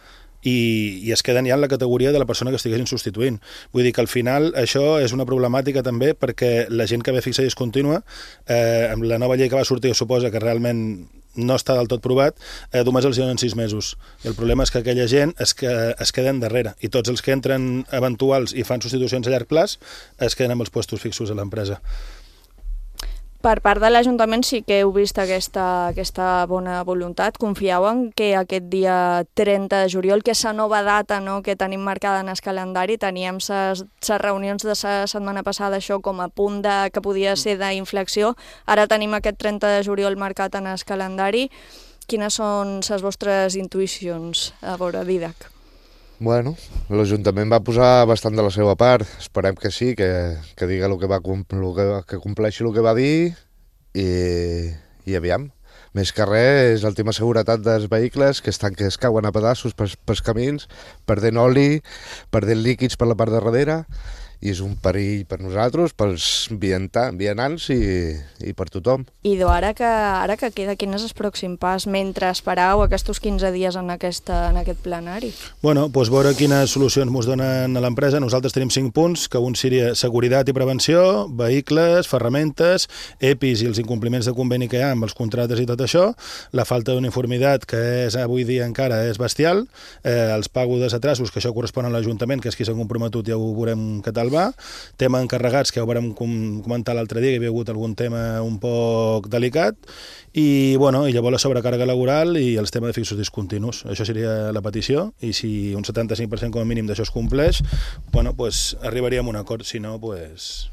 I, i es queden ja en la categoria de la persona que estiguessin substituint. Vull dir que al final això és una problemàtica també, perquè la gent que ve fixa i discontínua, eh, amb la nova llei que va sortir, suposa que realment no està del tot provat, eh, només els donen sis mesos. I el problema és que aquella gent es, que, es queden darrere, i tots els que entren eventuals i fan substitucions a llarg plaç es queden amb els puestos fixos a l'empresa. Per part de l'Ajuntament sí que heu vist aquesta, aquesta bona voluntat. Confieu en que aquest dia trenta de juliol, que és la nova data, no?, que tenim marcada en el calendari, teníem les reunions de la setmana passada això com a punt de, que podia ser d'inflexió, ara tenim aquest trenta de juliol marcat en el calendari. Quines són les vostres intuïcions, a veure, Didac? Bueno, l'Ajuntament va posar bastant de la seva part, esperem que sí, que, que diga el que va el que, que compleixi el que va dir, i, i aviam. Més que res és el tema de seguretat dels vehicles, que estan que es cauen a pedaços pels, pels camins, perdent oli, perdent líquids per la part de darrere, i és un perill per nosaltres, pels vianants i, i per tothom. Idò, ara que, ara que queda, quin és el pròxim pas mentre esperau aquests quinze dies en, aquesta, en aquest plenari? Bueno, doncs veure quines solucions ens donen a l'empresa. Nosaltres tenim cinc punts, que un seria seguretat i prevenció, vehicles, ferramentes, E P Is i els incompliments de conveni que hi ha amb els contractes i tot això, la falta d'uniformitat, que és avui dia encara és bestial, eh, els pagos dels atrasos, que això correspon a l'Ajuntament, que és qui s'ha comprometut, ja ho veurem què tal va, tema encarregats, que ja ho vam comentar l'altre dia, que hi havia hagut algun tema un poc delicat, i, bueno, i llavors la sobrecàrrega laboral i els temes de fixos discontinus. Això seria la petició, i si un setanta-cinc per cent com a mínim d'això es compleix, bueno, pues arribaríem a un acord, si no, pues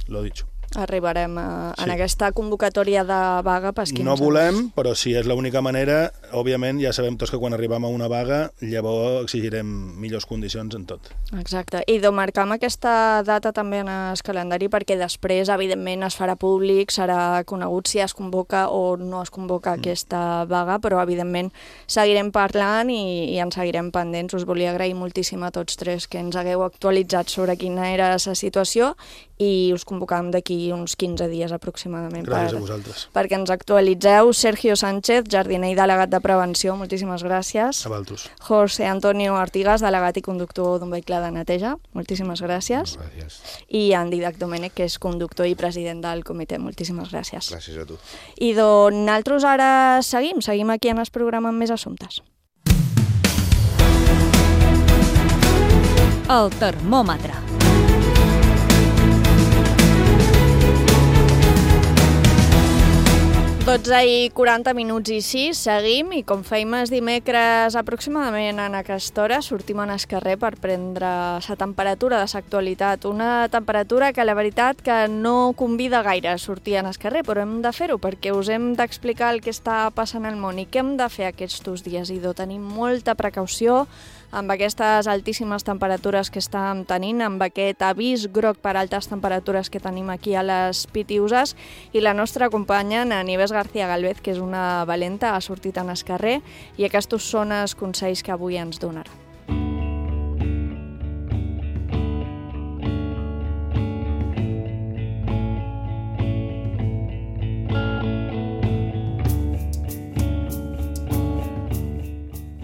lo dicho. Arribarem a, Sí. en aquesta convocatòria de vaga pas quinze. No volem, però si és l'única manera, òbviament ja sabem tots que quan arribem a una vaga llavors exigirem millors condicions en tot. Exacte. I de marcar amb aquesta data també en el calendari, perquè després, evidentment, es farà públic, serà conegut si es convoca o no es convoca mm. aquesta vaga, però, evidentment, seguirem parlant i, i ens seguirem pendents. Us volia agrair moltíssim a tots tres que ens hagueu actualitzat sobre quina era la situació i us convocàvem d'aquí uns quinze dies aproximadament. Gràcies per, a vosaltres. Perquè ens actualitzeu. Sergio Sánchez, jardiner i delegat de prevenció, moltíssimes gràcies. A vosaltres. José Antonio Artigas, delegat i conductor d'un vehicle de neteja, moltíssimes gràcies. Gràcies. I en Didac Domènech, que és conductor i president del comitè, moltíssimes gràcies. Gràcies a tu. I doncs nosaltres ara seguim, seguim aquí en el programa amb més assumptes. El termòmetre. dotze i quaranta minuts i sis, seguim, i com fèiem els dimecres aproximadament en aquesta hora, sortim en el carrer per prendre la temperatura de l'actualitat. Una temperatura que la veritat que no convida gaire a sortir en el carrer, però hem de fer-ho perquè us hem d'explicar el que està passant al món i què hem de fer aquests dies. I de tenir molta precaució amb aquestes altíssimes temperatures que estàvem tenint, amb aquest avís groc per altes temperatures que tenim aquí a les Pitiuses, i la nostra companya, na Nieves García Galvez, que és una valenta, ha sortit en el carrer, i aquests són els consells que avui ens donarà.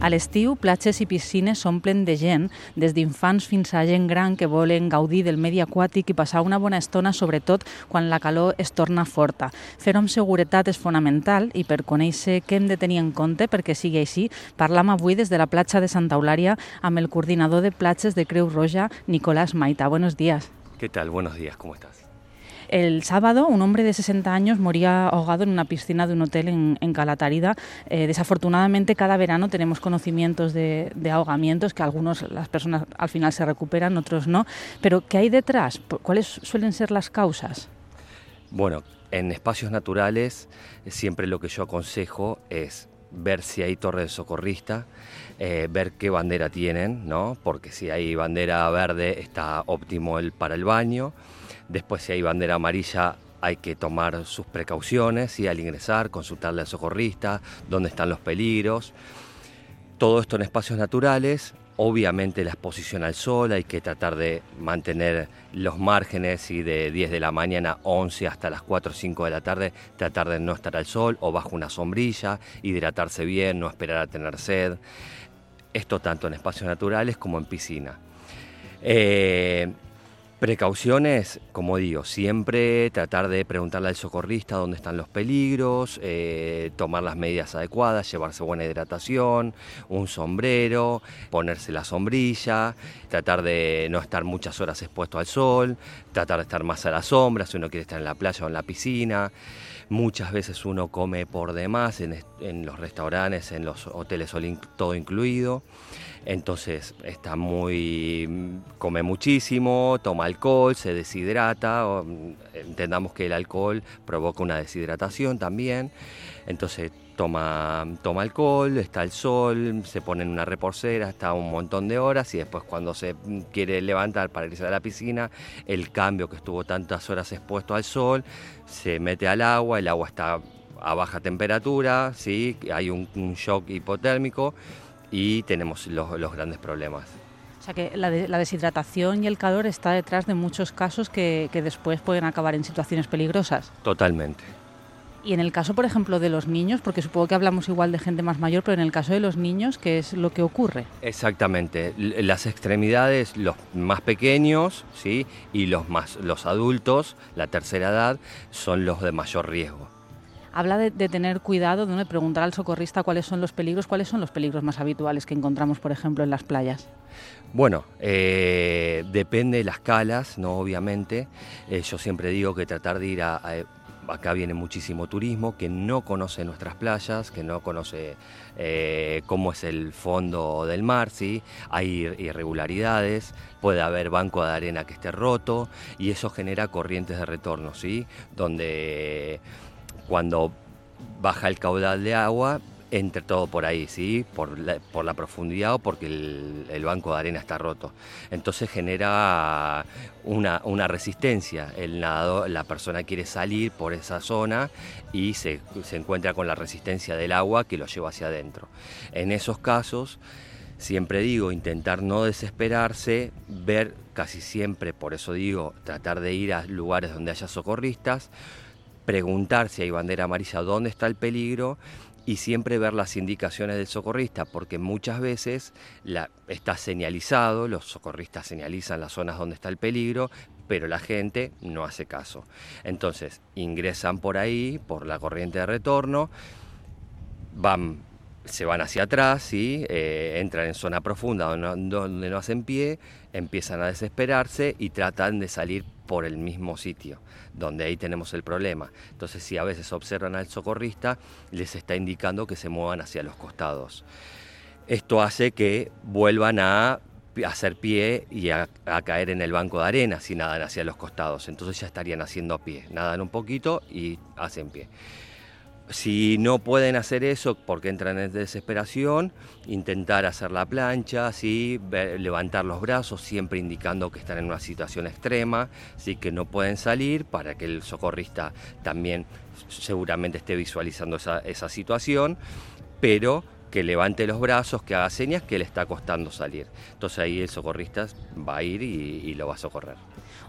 A l'estiu, platges i piscines s'omplen de gent, des d'infants fins a gent gran que volen gaudir del medi aquàtic i passar una bona estona, sobretot quan la calor es torna forta. Fer-ho amb seguretat és fonamental i per conèixer què hem de tenir en compte perquè sigui així, parlam avui des de la platja de Santa Eulària amb el coordinador de platges de Creu Roja, Nicolás Maita. Buenos días. ¿Qué tal? Buenos días, ¿cómo estás? El sábado, un hombre de sesenta años moría ahogado en una piscina de un hotel en, en Calatarida. Eh, desafortunadamente, cada verano tenemos conocimientos de, de ahogamientos, que algunos, las personas al final se recuperan, otros no. Pero, ¿qué hay detrás? ¿Cuáles suelen ser las causas? Bueno, en espacios naturales siempre lo que yo aconsejo es ver si hay torre de socorrista, eh, ver qué bandera tienen, ¿no? Porque si hay bandera verde está óptimo el, para el baño. Después, si hay bandera amarilla, hay que tomar sus precauciones y al ingresar, consultarle al socorrista, dónde están los peligros. Todo esto en espacios naturales. Obviamente la exposición al sol, hay que tratar de mantener los márgenes y de diez de la mañana a once hasta las cuatro o cinco de la tarde, tratar de no estar al sol o bajo una sombrilla, hidratarse bien, no esperar a tener sed. Esto tanto en espacios naturales como en piscina. Eh, Precauciones, como digo, siempre tratar de preguntarle al socorrista dónde están los peligros, eh, tomar las medidas adecuadas, llevarse buena hidratación, un sombrero, ponerse la sombrilla, tratar de no estar muchas horas expuesto al sol, tratar de estar más a la sombra si uno quiere estar en la playa o en la piscina. Muchas veces uno come por demás en, en los restaurantes, en los hoteles, todo incluido. Entonces está muy, come muchísimo, toma alcohol, se deshidrata. O, entendamos que el alcohol provoca una deshidratación también. Entonces toma, toma alcohol, está al sol, se pone en una reposera, está un montón de horas y después cuando se quiere levantar para irse a la piscina, el cambio que estuvo tantas horas expuesto al sol, se mete al agua, el agua está a baja temperatura, ¿sí? Hay un, un shock hipotérmico y tenemos los, los grandes problemas. O sea que la, de, la deshidratación y el calor está detrás de muchos casos que, que después pueden acabar en situaciones peligrosas. Totalmente. Y en el caso, por ejemplo, de los niños, porque supongo que hablamos igual de gente más mayor, pero en el caso de los niños, ¿qué es lo que ocurre? Exactamente. Las extremidades, los más pequeños, ¿sí? Y los, más, los adultos, la tercera edad, son los de mayor riesgo. Habla de, de tener cuidado, de preguntar al socorrista cuáles son los peligros, cuáles son los peligros más habituales que encontramos, por ejemplo, en las playas. Bueno, eh, depende de las calas, ¿no? Obviamente. Eh, yo siempre digo que tratar de ir a... a Acá viene muchísimo turismo que no conoce nuestras playas, que no conoce eh, cómo es el fondo del mar, ¿sí? Hay irregularidades, puede haber banco de arena que esté roto y eso genera corrientes de retorno, ¿sí? Donde cuando baja el caudal de agua, entre todo por ahí, ¿sí? Por la, por la profundidad o porque el, el banco de arena está roto. Entonces genera una, una resistencia. El nadador, la persona quiere salir por esa zona y se, se encuentra con la resistencia del agua que lo lleva hacia adentro. En esos casos, siempre digo, intentar no desesperarse, ver casi siempre, por eso digo, tratar de ir a lugares donde haya socorristas, preguntar si hay bandera amarilla, dónde está el peligro, y siempre ver las indicaciones del socorrista, porque muchas veces la, está señalizado, los socorristas señalizan las zonas donde está el peligro, pero la gente no hace caso. Entonces ingresan por ahí, por la corriente de retorno, van, se van hacia atrás, ¿sí? eh, entran en zona profunda donde no, donde no hacen pie, empiezan a desesperarse y tratan de salir por el mismo sitio, donde ahí tenemos el problema. Entonces, si a veces observan al socorrista, les está indicando que se muevan hacia los costados. Esto hace que vuelvan a hacer pie y a, a caer en el banco de arena si nadan hacia los costados. Entonces ya estarían haciendo pie. Nadan un poquito y hacen pie. Si no pueden hacer eso porque entran en desesperación, intentar hacer la plancha, ¿sí? Levantar los brazos, siempre indicando que están en una situación extrema, ¿sí? Que no pueden salir, para que el socorrista también seguramente esté visualizando esa, esa situación, pero que levante los brazos, que haga señas que le está costando salir. Entonces ahí el socorrista va a ir y, y lo va a socorrer.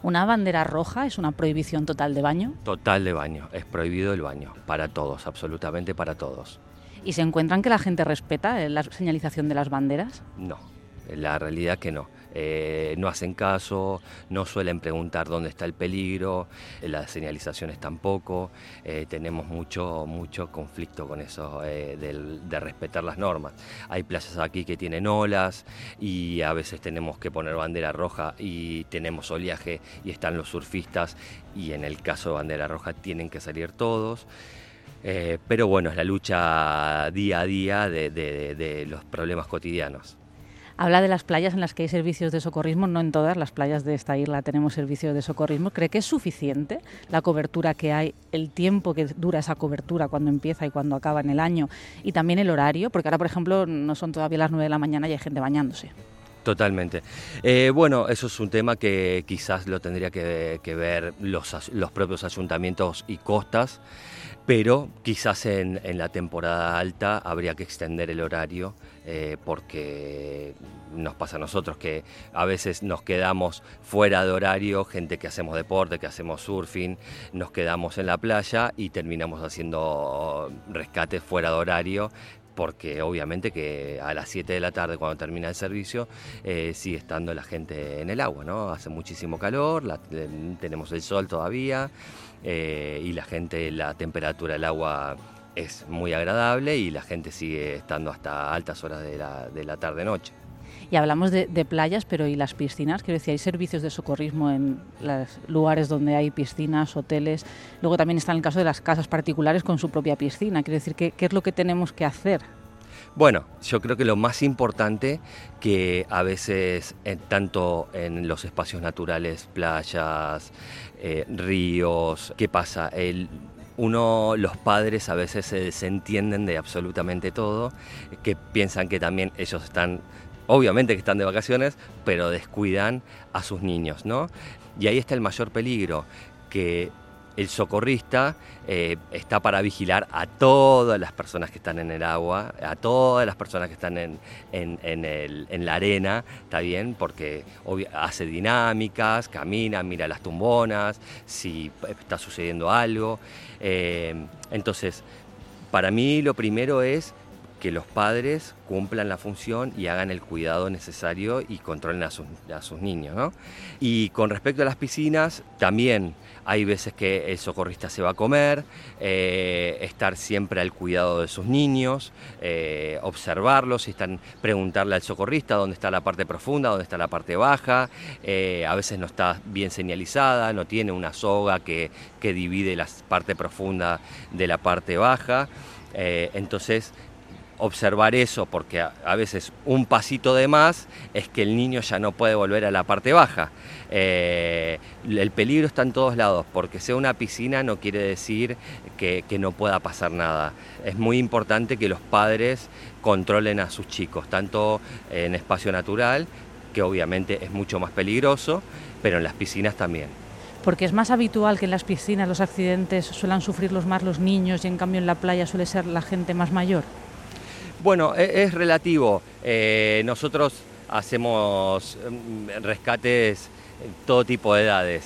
¿Una bandera roja es una prohibición total de baño? Total de baño, es prohibido el baño, para todos, absolutamente para todos. ¿Y se encuentran que la gente respeta la señalización de las banderas? No, la realidad es que no. Eh, no hacen caso, no suelen preguntar dónde está el peligro, eh, las señalizaciones tampoco, eh, tenemos mucho, mucho conflicto con eso eh, de, de respetar las normas. Hay playas aquí que tienen olas y a veces tenemos que poner bandera roja y tenemos oleaje y están los surfistas y en el caso de bandera roja tienen que salir todos. Eh, pero bueno, es la lucha día a día de, de, de los problemas cotidianos. Habla de las playas en las que hay servicios de socorrismo, no en todas las playas de esta isla tenemos servicios de socorrismo. ¿Cree que es suficiente la cobertura que hay, el tiempo que dura esa cobertura, cuando empieza y cuando acaba en el año, y también el horario? Porque ahora, por ejemplo, no son todavía las nueve de la mañana y hay gente bañándose. Totalmente. Eh, bueno, eso es un tema que quizás lo tendría que, que ver los, los propios ayuntamientos y costas, pero quizás en, en la temporada alta habría que extender el horario eh, porque nos pasa a nosotros que a veces nos quedamos fuera de horario, gente que hacemos deporte, que hacemos surfing, nos quedamos en la playa y terminamos haciendo rescates fuera de horario, porque obviamente que a las siete de la tarde cuando termina el servicio eh, sigue estando la gente en el agua, ¿no? Hace muchísimo calor, la, tenemos el sol todavía eh, y la gente, la temperatura del agua es muy agradable y la gente sigue estando hasta altas horas de la, de la tarde-noche. Y hablamos de, de playas, pero ¿y las piscinas? Quiero decir, hay servicios de socorrismo en los lugares donde hay piscinas, hoteles. Luego también está el caso de las casas particulares con su propia piscina. Quiero decir, ¿qué, qué es lo que tenemos que hacer? Bueno, yo creo que lo más importante que a veces, eh, tanto en los espacios naturales, playas, eh, ríos, ¿qué pasa? El, uno, los padres a veces se desentienden de absolutamente todo, que piensan que también ellos están... Obviamente que están de vacaciones, pero descuidan a sus niños, ¿no? Y ahí está el mayor peligro, que el socorrista eh, está para vigilar a todas las personas que están en el agua, a todas las personas que están en, en, en, el, en la arena, ¿está bien? Porque obvio, hace dinámicas, camina, mira las tumbonas, si está sucediendo algo. Eh, entonces, para mí lo primero es que los padres cumplan la función y hagan el cuidado necesario y controlen a sus, a sus niños, ¿no? Y con respecto a las piscinas, también hay veces que el socorrista se va a comer, eh, estar siempre al cuidado de sus niños, eh, observarlos, están, preguntarle al socorrista dónde está la parte profunda, dónde está la parte baja, eh, a veces no está bien señalizada, no tiene una soga que, que divide la parte profunda de la parte baja, eh, entonces observar eso, porque a, a veces un pasito de más es que el niño ya no puede volver a la parte baja. Eh, el peligro está en todos lados, porque sea una piscina no quiere decir que, que no pueda pasar nada. Es muy importante que los padres controlen a sus chicos, tanto en espacio natural, que obviamente es mucho más peligroso, pero en las piscinas también. Porque es más habitual que en las piscinas los accidentes suelan sufrirlos más los niños y en cambio en la playa suele ser la gente más mayor. Bueno, es, es relativo. Eh, nosotros hacemos rescates en todo tipo de edades,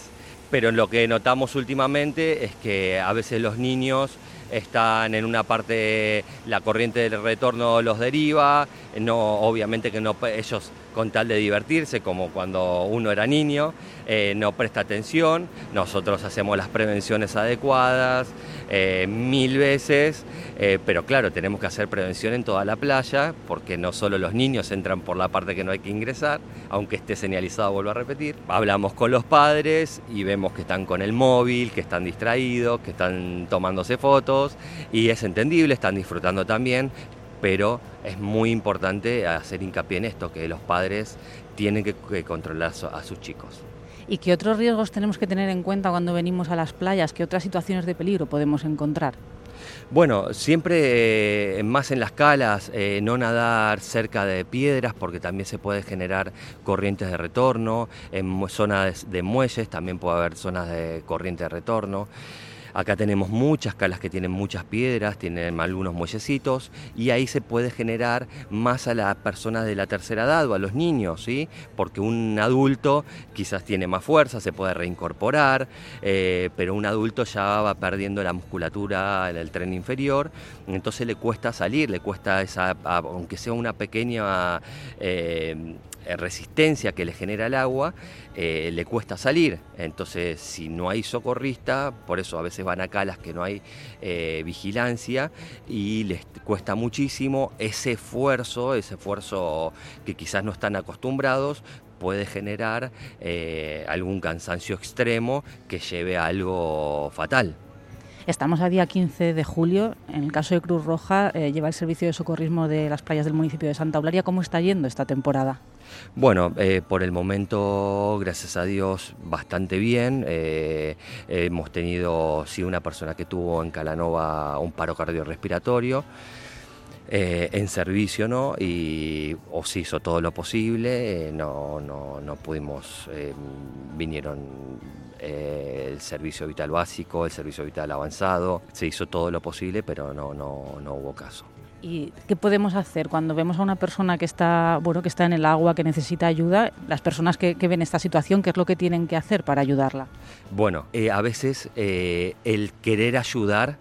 pero lo que notamos últimamente es que a veces los niños están en una parte, la corriente del retorno los deriva, no, obviamente que no, ellos con tal de divertirse, como cuando uno era niño, eh, no presta atención, nosotros hacemos las prevenciones adecuadas eh, mil veces, eh, pero claro, tenemos que hacer prevención en toda la playa, porque no solo los niños entran por la parte que no hay que ingresar, aunque esté señalizado, vuelvo a repetir. Hablamos con los padres y vemos que están con el móvil, que están distraídos, que están tomándose fotos, y es entendible, están disfrutando también, pero es muy importante hacer hincapié en esto, que los padres tienen que, que controlar a sus chicos. ¿Y qué otros riesgos tenemos que tener en cuenta cuando venimos a las playas? ¿Qué otras situaciones de peligro podemos encontrar? Bueno, siempre eh, más en las calas, eh, no nadar cerca de piedras porque también se puede generar corrientes de retorno, en zonas de muelles también puede haber zonas de corriente de retorno. Acá tenemos muchas calas que tienen muchas piedras, tienen algunos muellecitos y ahí se puede generar más a las personas de la tercera edad o a los niños, ¿sí? Porque un adulto quizás tiene más fuerza, se puede reincorporar, eh, pero un adulto ya va perdiendo la musculatura en el tren inferior, entonces le cuesta salir, le cuesta, esa, aunque sea una pequeña eh, resistencia que le genera el agua, eh, le cuesta salir. Entonces, si no hay socorrista, por eso a veces van a calas que no hay eh, vigilancia y les cuesta muchísimo ese esfuerzo, ese esfuerzo que quizás no están acostumbrados, puede generar eh, algún cansancio extremo que lleve a algo fatal. Estamos a día quince de julio. En el caso de Cruz Roja, eh, lleva el servicio de socorrismo de las playas del municipio de Santa Eulalia. ¿Cómo está yendo esta temporada? Bueno, eh, por el momento, gracias a Dios, bastante bien. Eh, eh, hemos tenido, sí, una persona que tuvo en Calanova un paro cardiorrespiratorio. Eh, en servicio, ¿no? Y o se hizo todo lo posible, eh, no, no, no pudimos, eh, vinieron eh, el servicio vital básico, el servicio vital avanzado, se hizo todo lo posible, pero no, no, no hubo caso. ¿Y qué podemos hacer cuando vemos a una persona que está, bueno, que está en el agua, que necesita ayuda? Las personas que, que ven esta situación, ¿qué es lo que tienen que hacer para ayudarla? Bueno, eh, a veces eh, el querer ayudar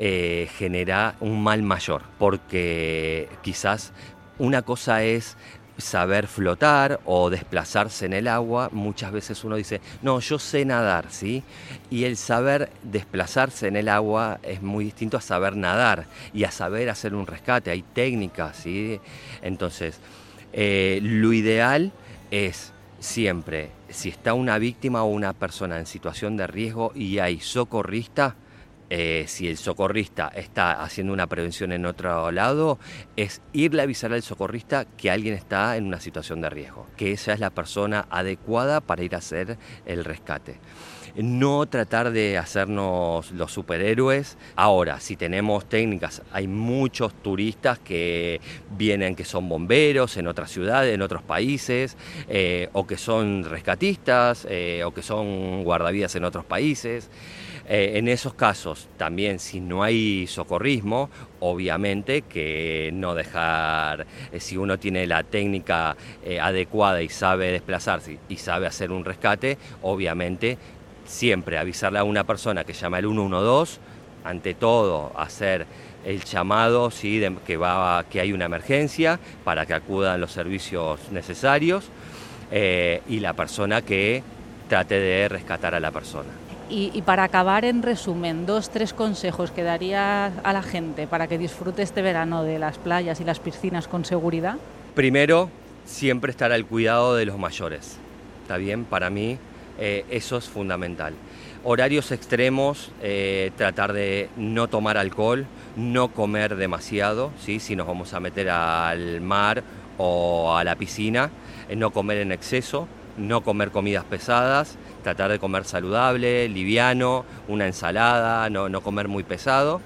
Eh, genera un mal mayor, porque quizás una cosa es saber flotar o desplazarse en el agua. Muchas veces uno dice, no, yo sé nadar, ¿sí? Y el saber desplazarse en el agua es muy distinto a saber nadar y a saber hacer un rescate. Hay técnicas, ¿sí? Entonces, eh, lo ideal es siempre, si está una víctima o una persona en situación de riesgo y hay socorrista, eh, si el socorrista está haciendo una prevención en otro lado, es irle a avisar al socorrista que alguien está en una situación de riesgo, que esa es la persona adecuada para ir a hacer el rescate. No tratar de hacernos los superhéroes. Ahora, si tenemos técnicas, hay muchos turistas que vienen, que son bomberos en otras ciudades, en otros países, eh, o que son rescatistas, eh, o que son guardavidas en otros países. Eh, en esos casos, también si no hay socorrismo, obviamente que no dejar, eh, si uno tiene la técnica eh, adecuada y sabe desplazarse y sabe hacer un rescate, obviamente siempre avisarle a una persona que llama al uno uno dos, ante todo hacer el llamado, ¿sí?, de que, va, que hay una emergencia para que acudan los servicios necesarios, eh, y la persona que trate de rescatar a la persona. Y, y para acabar, en resumen, dos, tres consejos que darías a la gente para que disfrute este verano de las playas y las piscinas con seguridad. Primero, siempre estar al cuidado de los mayores, ¿está bien? Para mí eh, eso es fundamental. Horarios extremos, eh, tratar de no tomar alcohol, no comer demasiado, ¿sí? Si nos vamos a meter al mar o a la piscina, eh, no comer en exceso, no comer comidas pesadas, tratar de comer saludable, liviano, una ensalada, no, no comer muy pesado.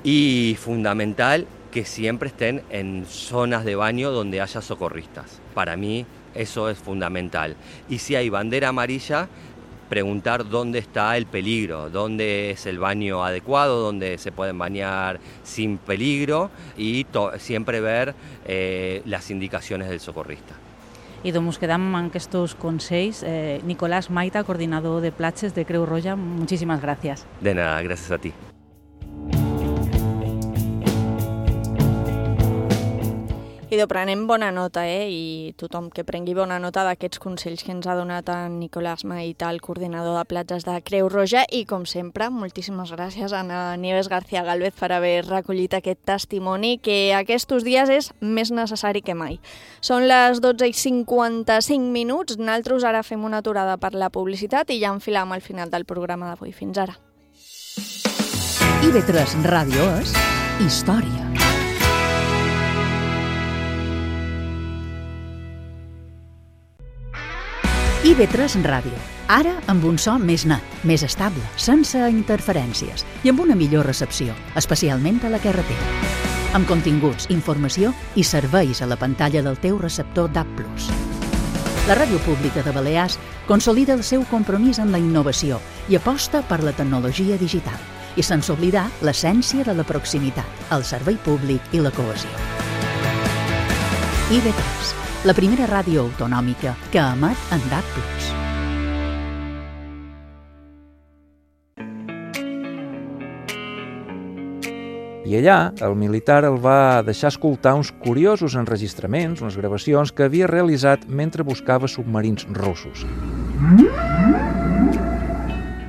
Y fundamental, que siempre estén en zonas de baño donde haya socorristas. Para mí eso es fundamental. Y si hay bandera amarilla, preguntar dónde está el peligro, dónde es el baño adecuado, dónde se pueden bañar sin peligro, y siempre ver eh, las indicaciones del socorrista. I doncs quedam amb aquests consells. Eh, Nicolás Maita, coordinador de platges de Creu Roja, muchísimas gracias. De nada, gracias a ti. I prenem bona nota, eh? I tothom que prengui bona nota d'aquests consells que ens ha donat en Nicolás Maita, el coordinador de platges de Creu Roja, i com sempre, moltíssimes gràcies a Nieves García Gálvez per haver recollit aquest testimoni que aquests dies és més necessari que mai. Són les dotze i cinquanta-cinc minuts, nosaltres ara fem una aturada per la publicitat i ja enfilam al final del programa d'avui. Fins ara. I B tres Ràdio és història. I B tres Ràdio, ara amb un so més net, més estable, sense interferències i amb una millor recepció, especialment a la carretera. Amb continguts, informació i serveis a la pantalla del teu receptor D A B plus. La Ràdio Pública de Balears consolida el seu compromís amb la innovació i aposta per la tecnologia digital, i sense oblidar l'essència de la proximitat, el servei públic i la cohesió. I B tres, la primera ràdio autonòmica que emet en D A B plus. I allà, el militar el va deixar escoltar uns curiosos enregistraments, unes gravacions que havia realitzat mentre buscava submarins russos.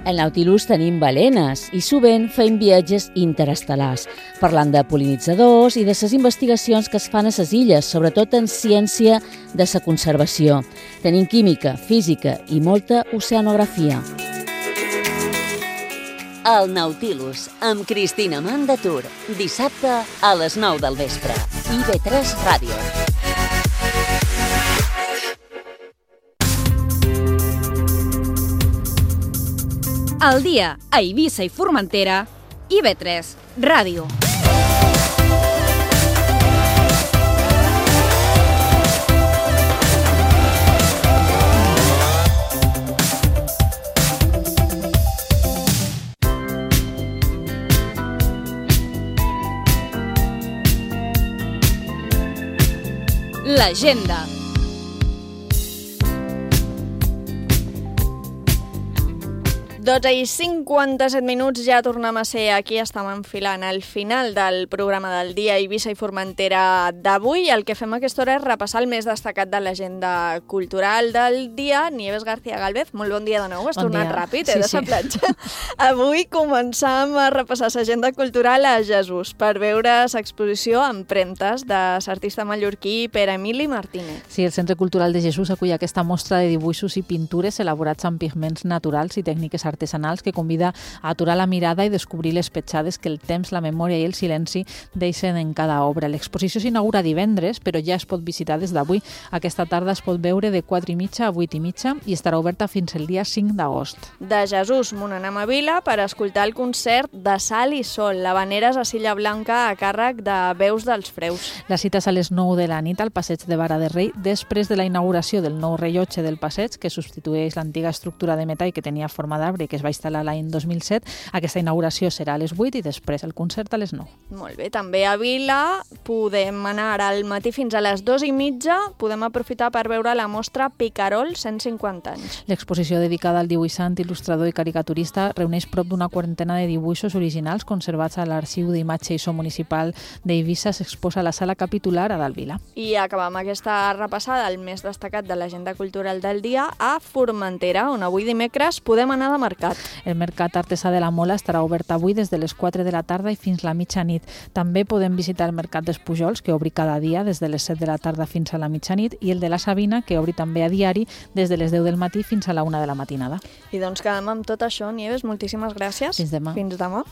Al Nautilus tenim balenes i sovint fem viatges interestel·lars, parlant de pol·linitzadors i de les investigacions que es fan a les illes, sobretot en ciència de la conservació. Tenim química, física i molta oceanografia. El Nautilus, amb Cristina Mandatur, dissabte a les nou del vespre. I B tres Ràdio. Al dia a Eivissa i Formentera, I B tres Ràdio. L'agenda. dotze i cinquanta-set minuts, ja tornem a ser aquí, estem enfilant al final del programa del dia Eivissa i Formentera d'avui. El que fem a aquesta hora és repassar el més destacat de l'agenda cultural del dia. Nieves García Gálvez, molt bon dia de nou, has bon tornat dia. ràpid, eh, sí, de sa sí. platja. Avui començam a repassar l'agenda cultural a Jesús per veure l'exposició Empremtes de l'artista mallorquí Pere Emili Martínez. Sí, el Centre Cultural de Jesús acull aquesta mostra de dibuixos i pintures elaborats amb pigments naturals i tècniques artístiques artesanals que convida a aturar la mirada i descobrir les petjades que el temps, la memòria i el silenci deixen en cada obra. L'exposició s'inaugura divendres, però ja es pot visitar des d'avui. Aquesta tarda es pot veure de quatre i mitja a vuit i mitja i estarà oberta fins el dia cinc d'agost. De Jesús Monanem a Vila per escoltar el concert de Sal i Sol, l'Havaneres a Silla Blanca a càrrec de Veus dels Freus. La cita és a les nou de la nit al passeig de Vara de Rei, després de la inauguració del nou rellotge del passeig, que substitueix l'antiga estructura de metall que tenia forma d'arbre i que es va instal·lar l'any dos mil set. Aquesta inauguració serà a les vuit i després el concert a les nou. Molt bé, també a Vila podem anar al matí fins a les dues i mitja, podem aprofitar per veure la mostra Picarol cent cinquanta anys. L'exposició dedicada al dibuixant, il·lustrador i caricaturista reuneix prop d'una quarantena de dibuixos originals conservats a l'Arxiu d'Imatge i So Municipal d'Eivissa. S'exposa a la sala capitular a Dalt Vila. I acabam aquesta repassada al més destacat de l'agenda cultural del dia a Formentera, on avui dimecres podem anar de mercat. El Mercat Artesà de la Mola estarà obert avui des de les quatre de la tarda i fins la mitjanit. També podem visitar el Mercat dels Pujols, que obri cada dia des de les set de la tarda fins a la mitjanit, i el de la Sabina, que obri també a diari des de les deu del matí fins a la una de la matinada. I doncs quedem amb tot això, Nieves. Moltíssimes gràcies. Fins demà. Fins demà.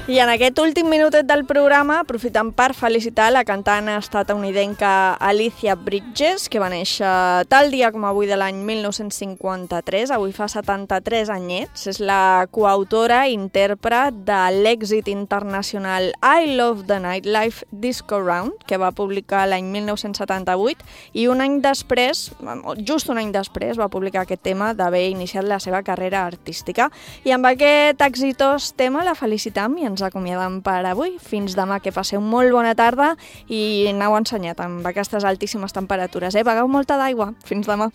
I en aquest últim minutet del programa aprofitem per felicitar la cantant estatunidenca Alicia Bridges, que va néixer tal dia com avui de l'any mil nou-cents cinquanta-tres, avui fa setanta-tres anyets. És la coautora i intèrpret de l'èxit internacional I Love the Nightlife Disco Round, que va publicar l'any mil nou-cents setanta-vuit, i un any després, just un any després, va publicar aquest tema d'haver iniciat la seva carrera artística. I amb aquest exitós tema la felicitam i ens acomiadam per avui. Fins demà, que passeu molt bona tarda i aneu ensenyat amb aquestes altíssimes temperatures. Eh? Begueu molta d'aigua. Fins demà.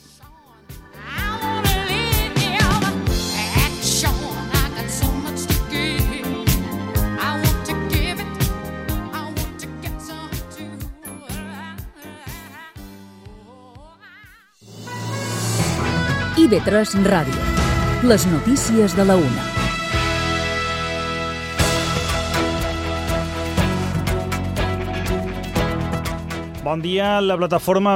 I V tres Ràdio. Les notícies de la una. Bon dia. La plataforma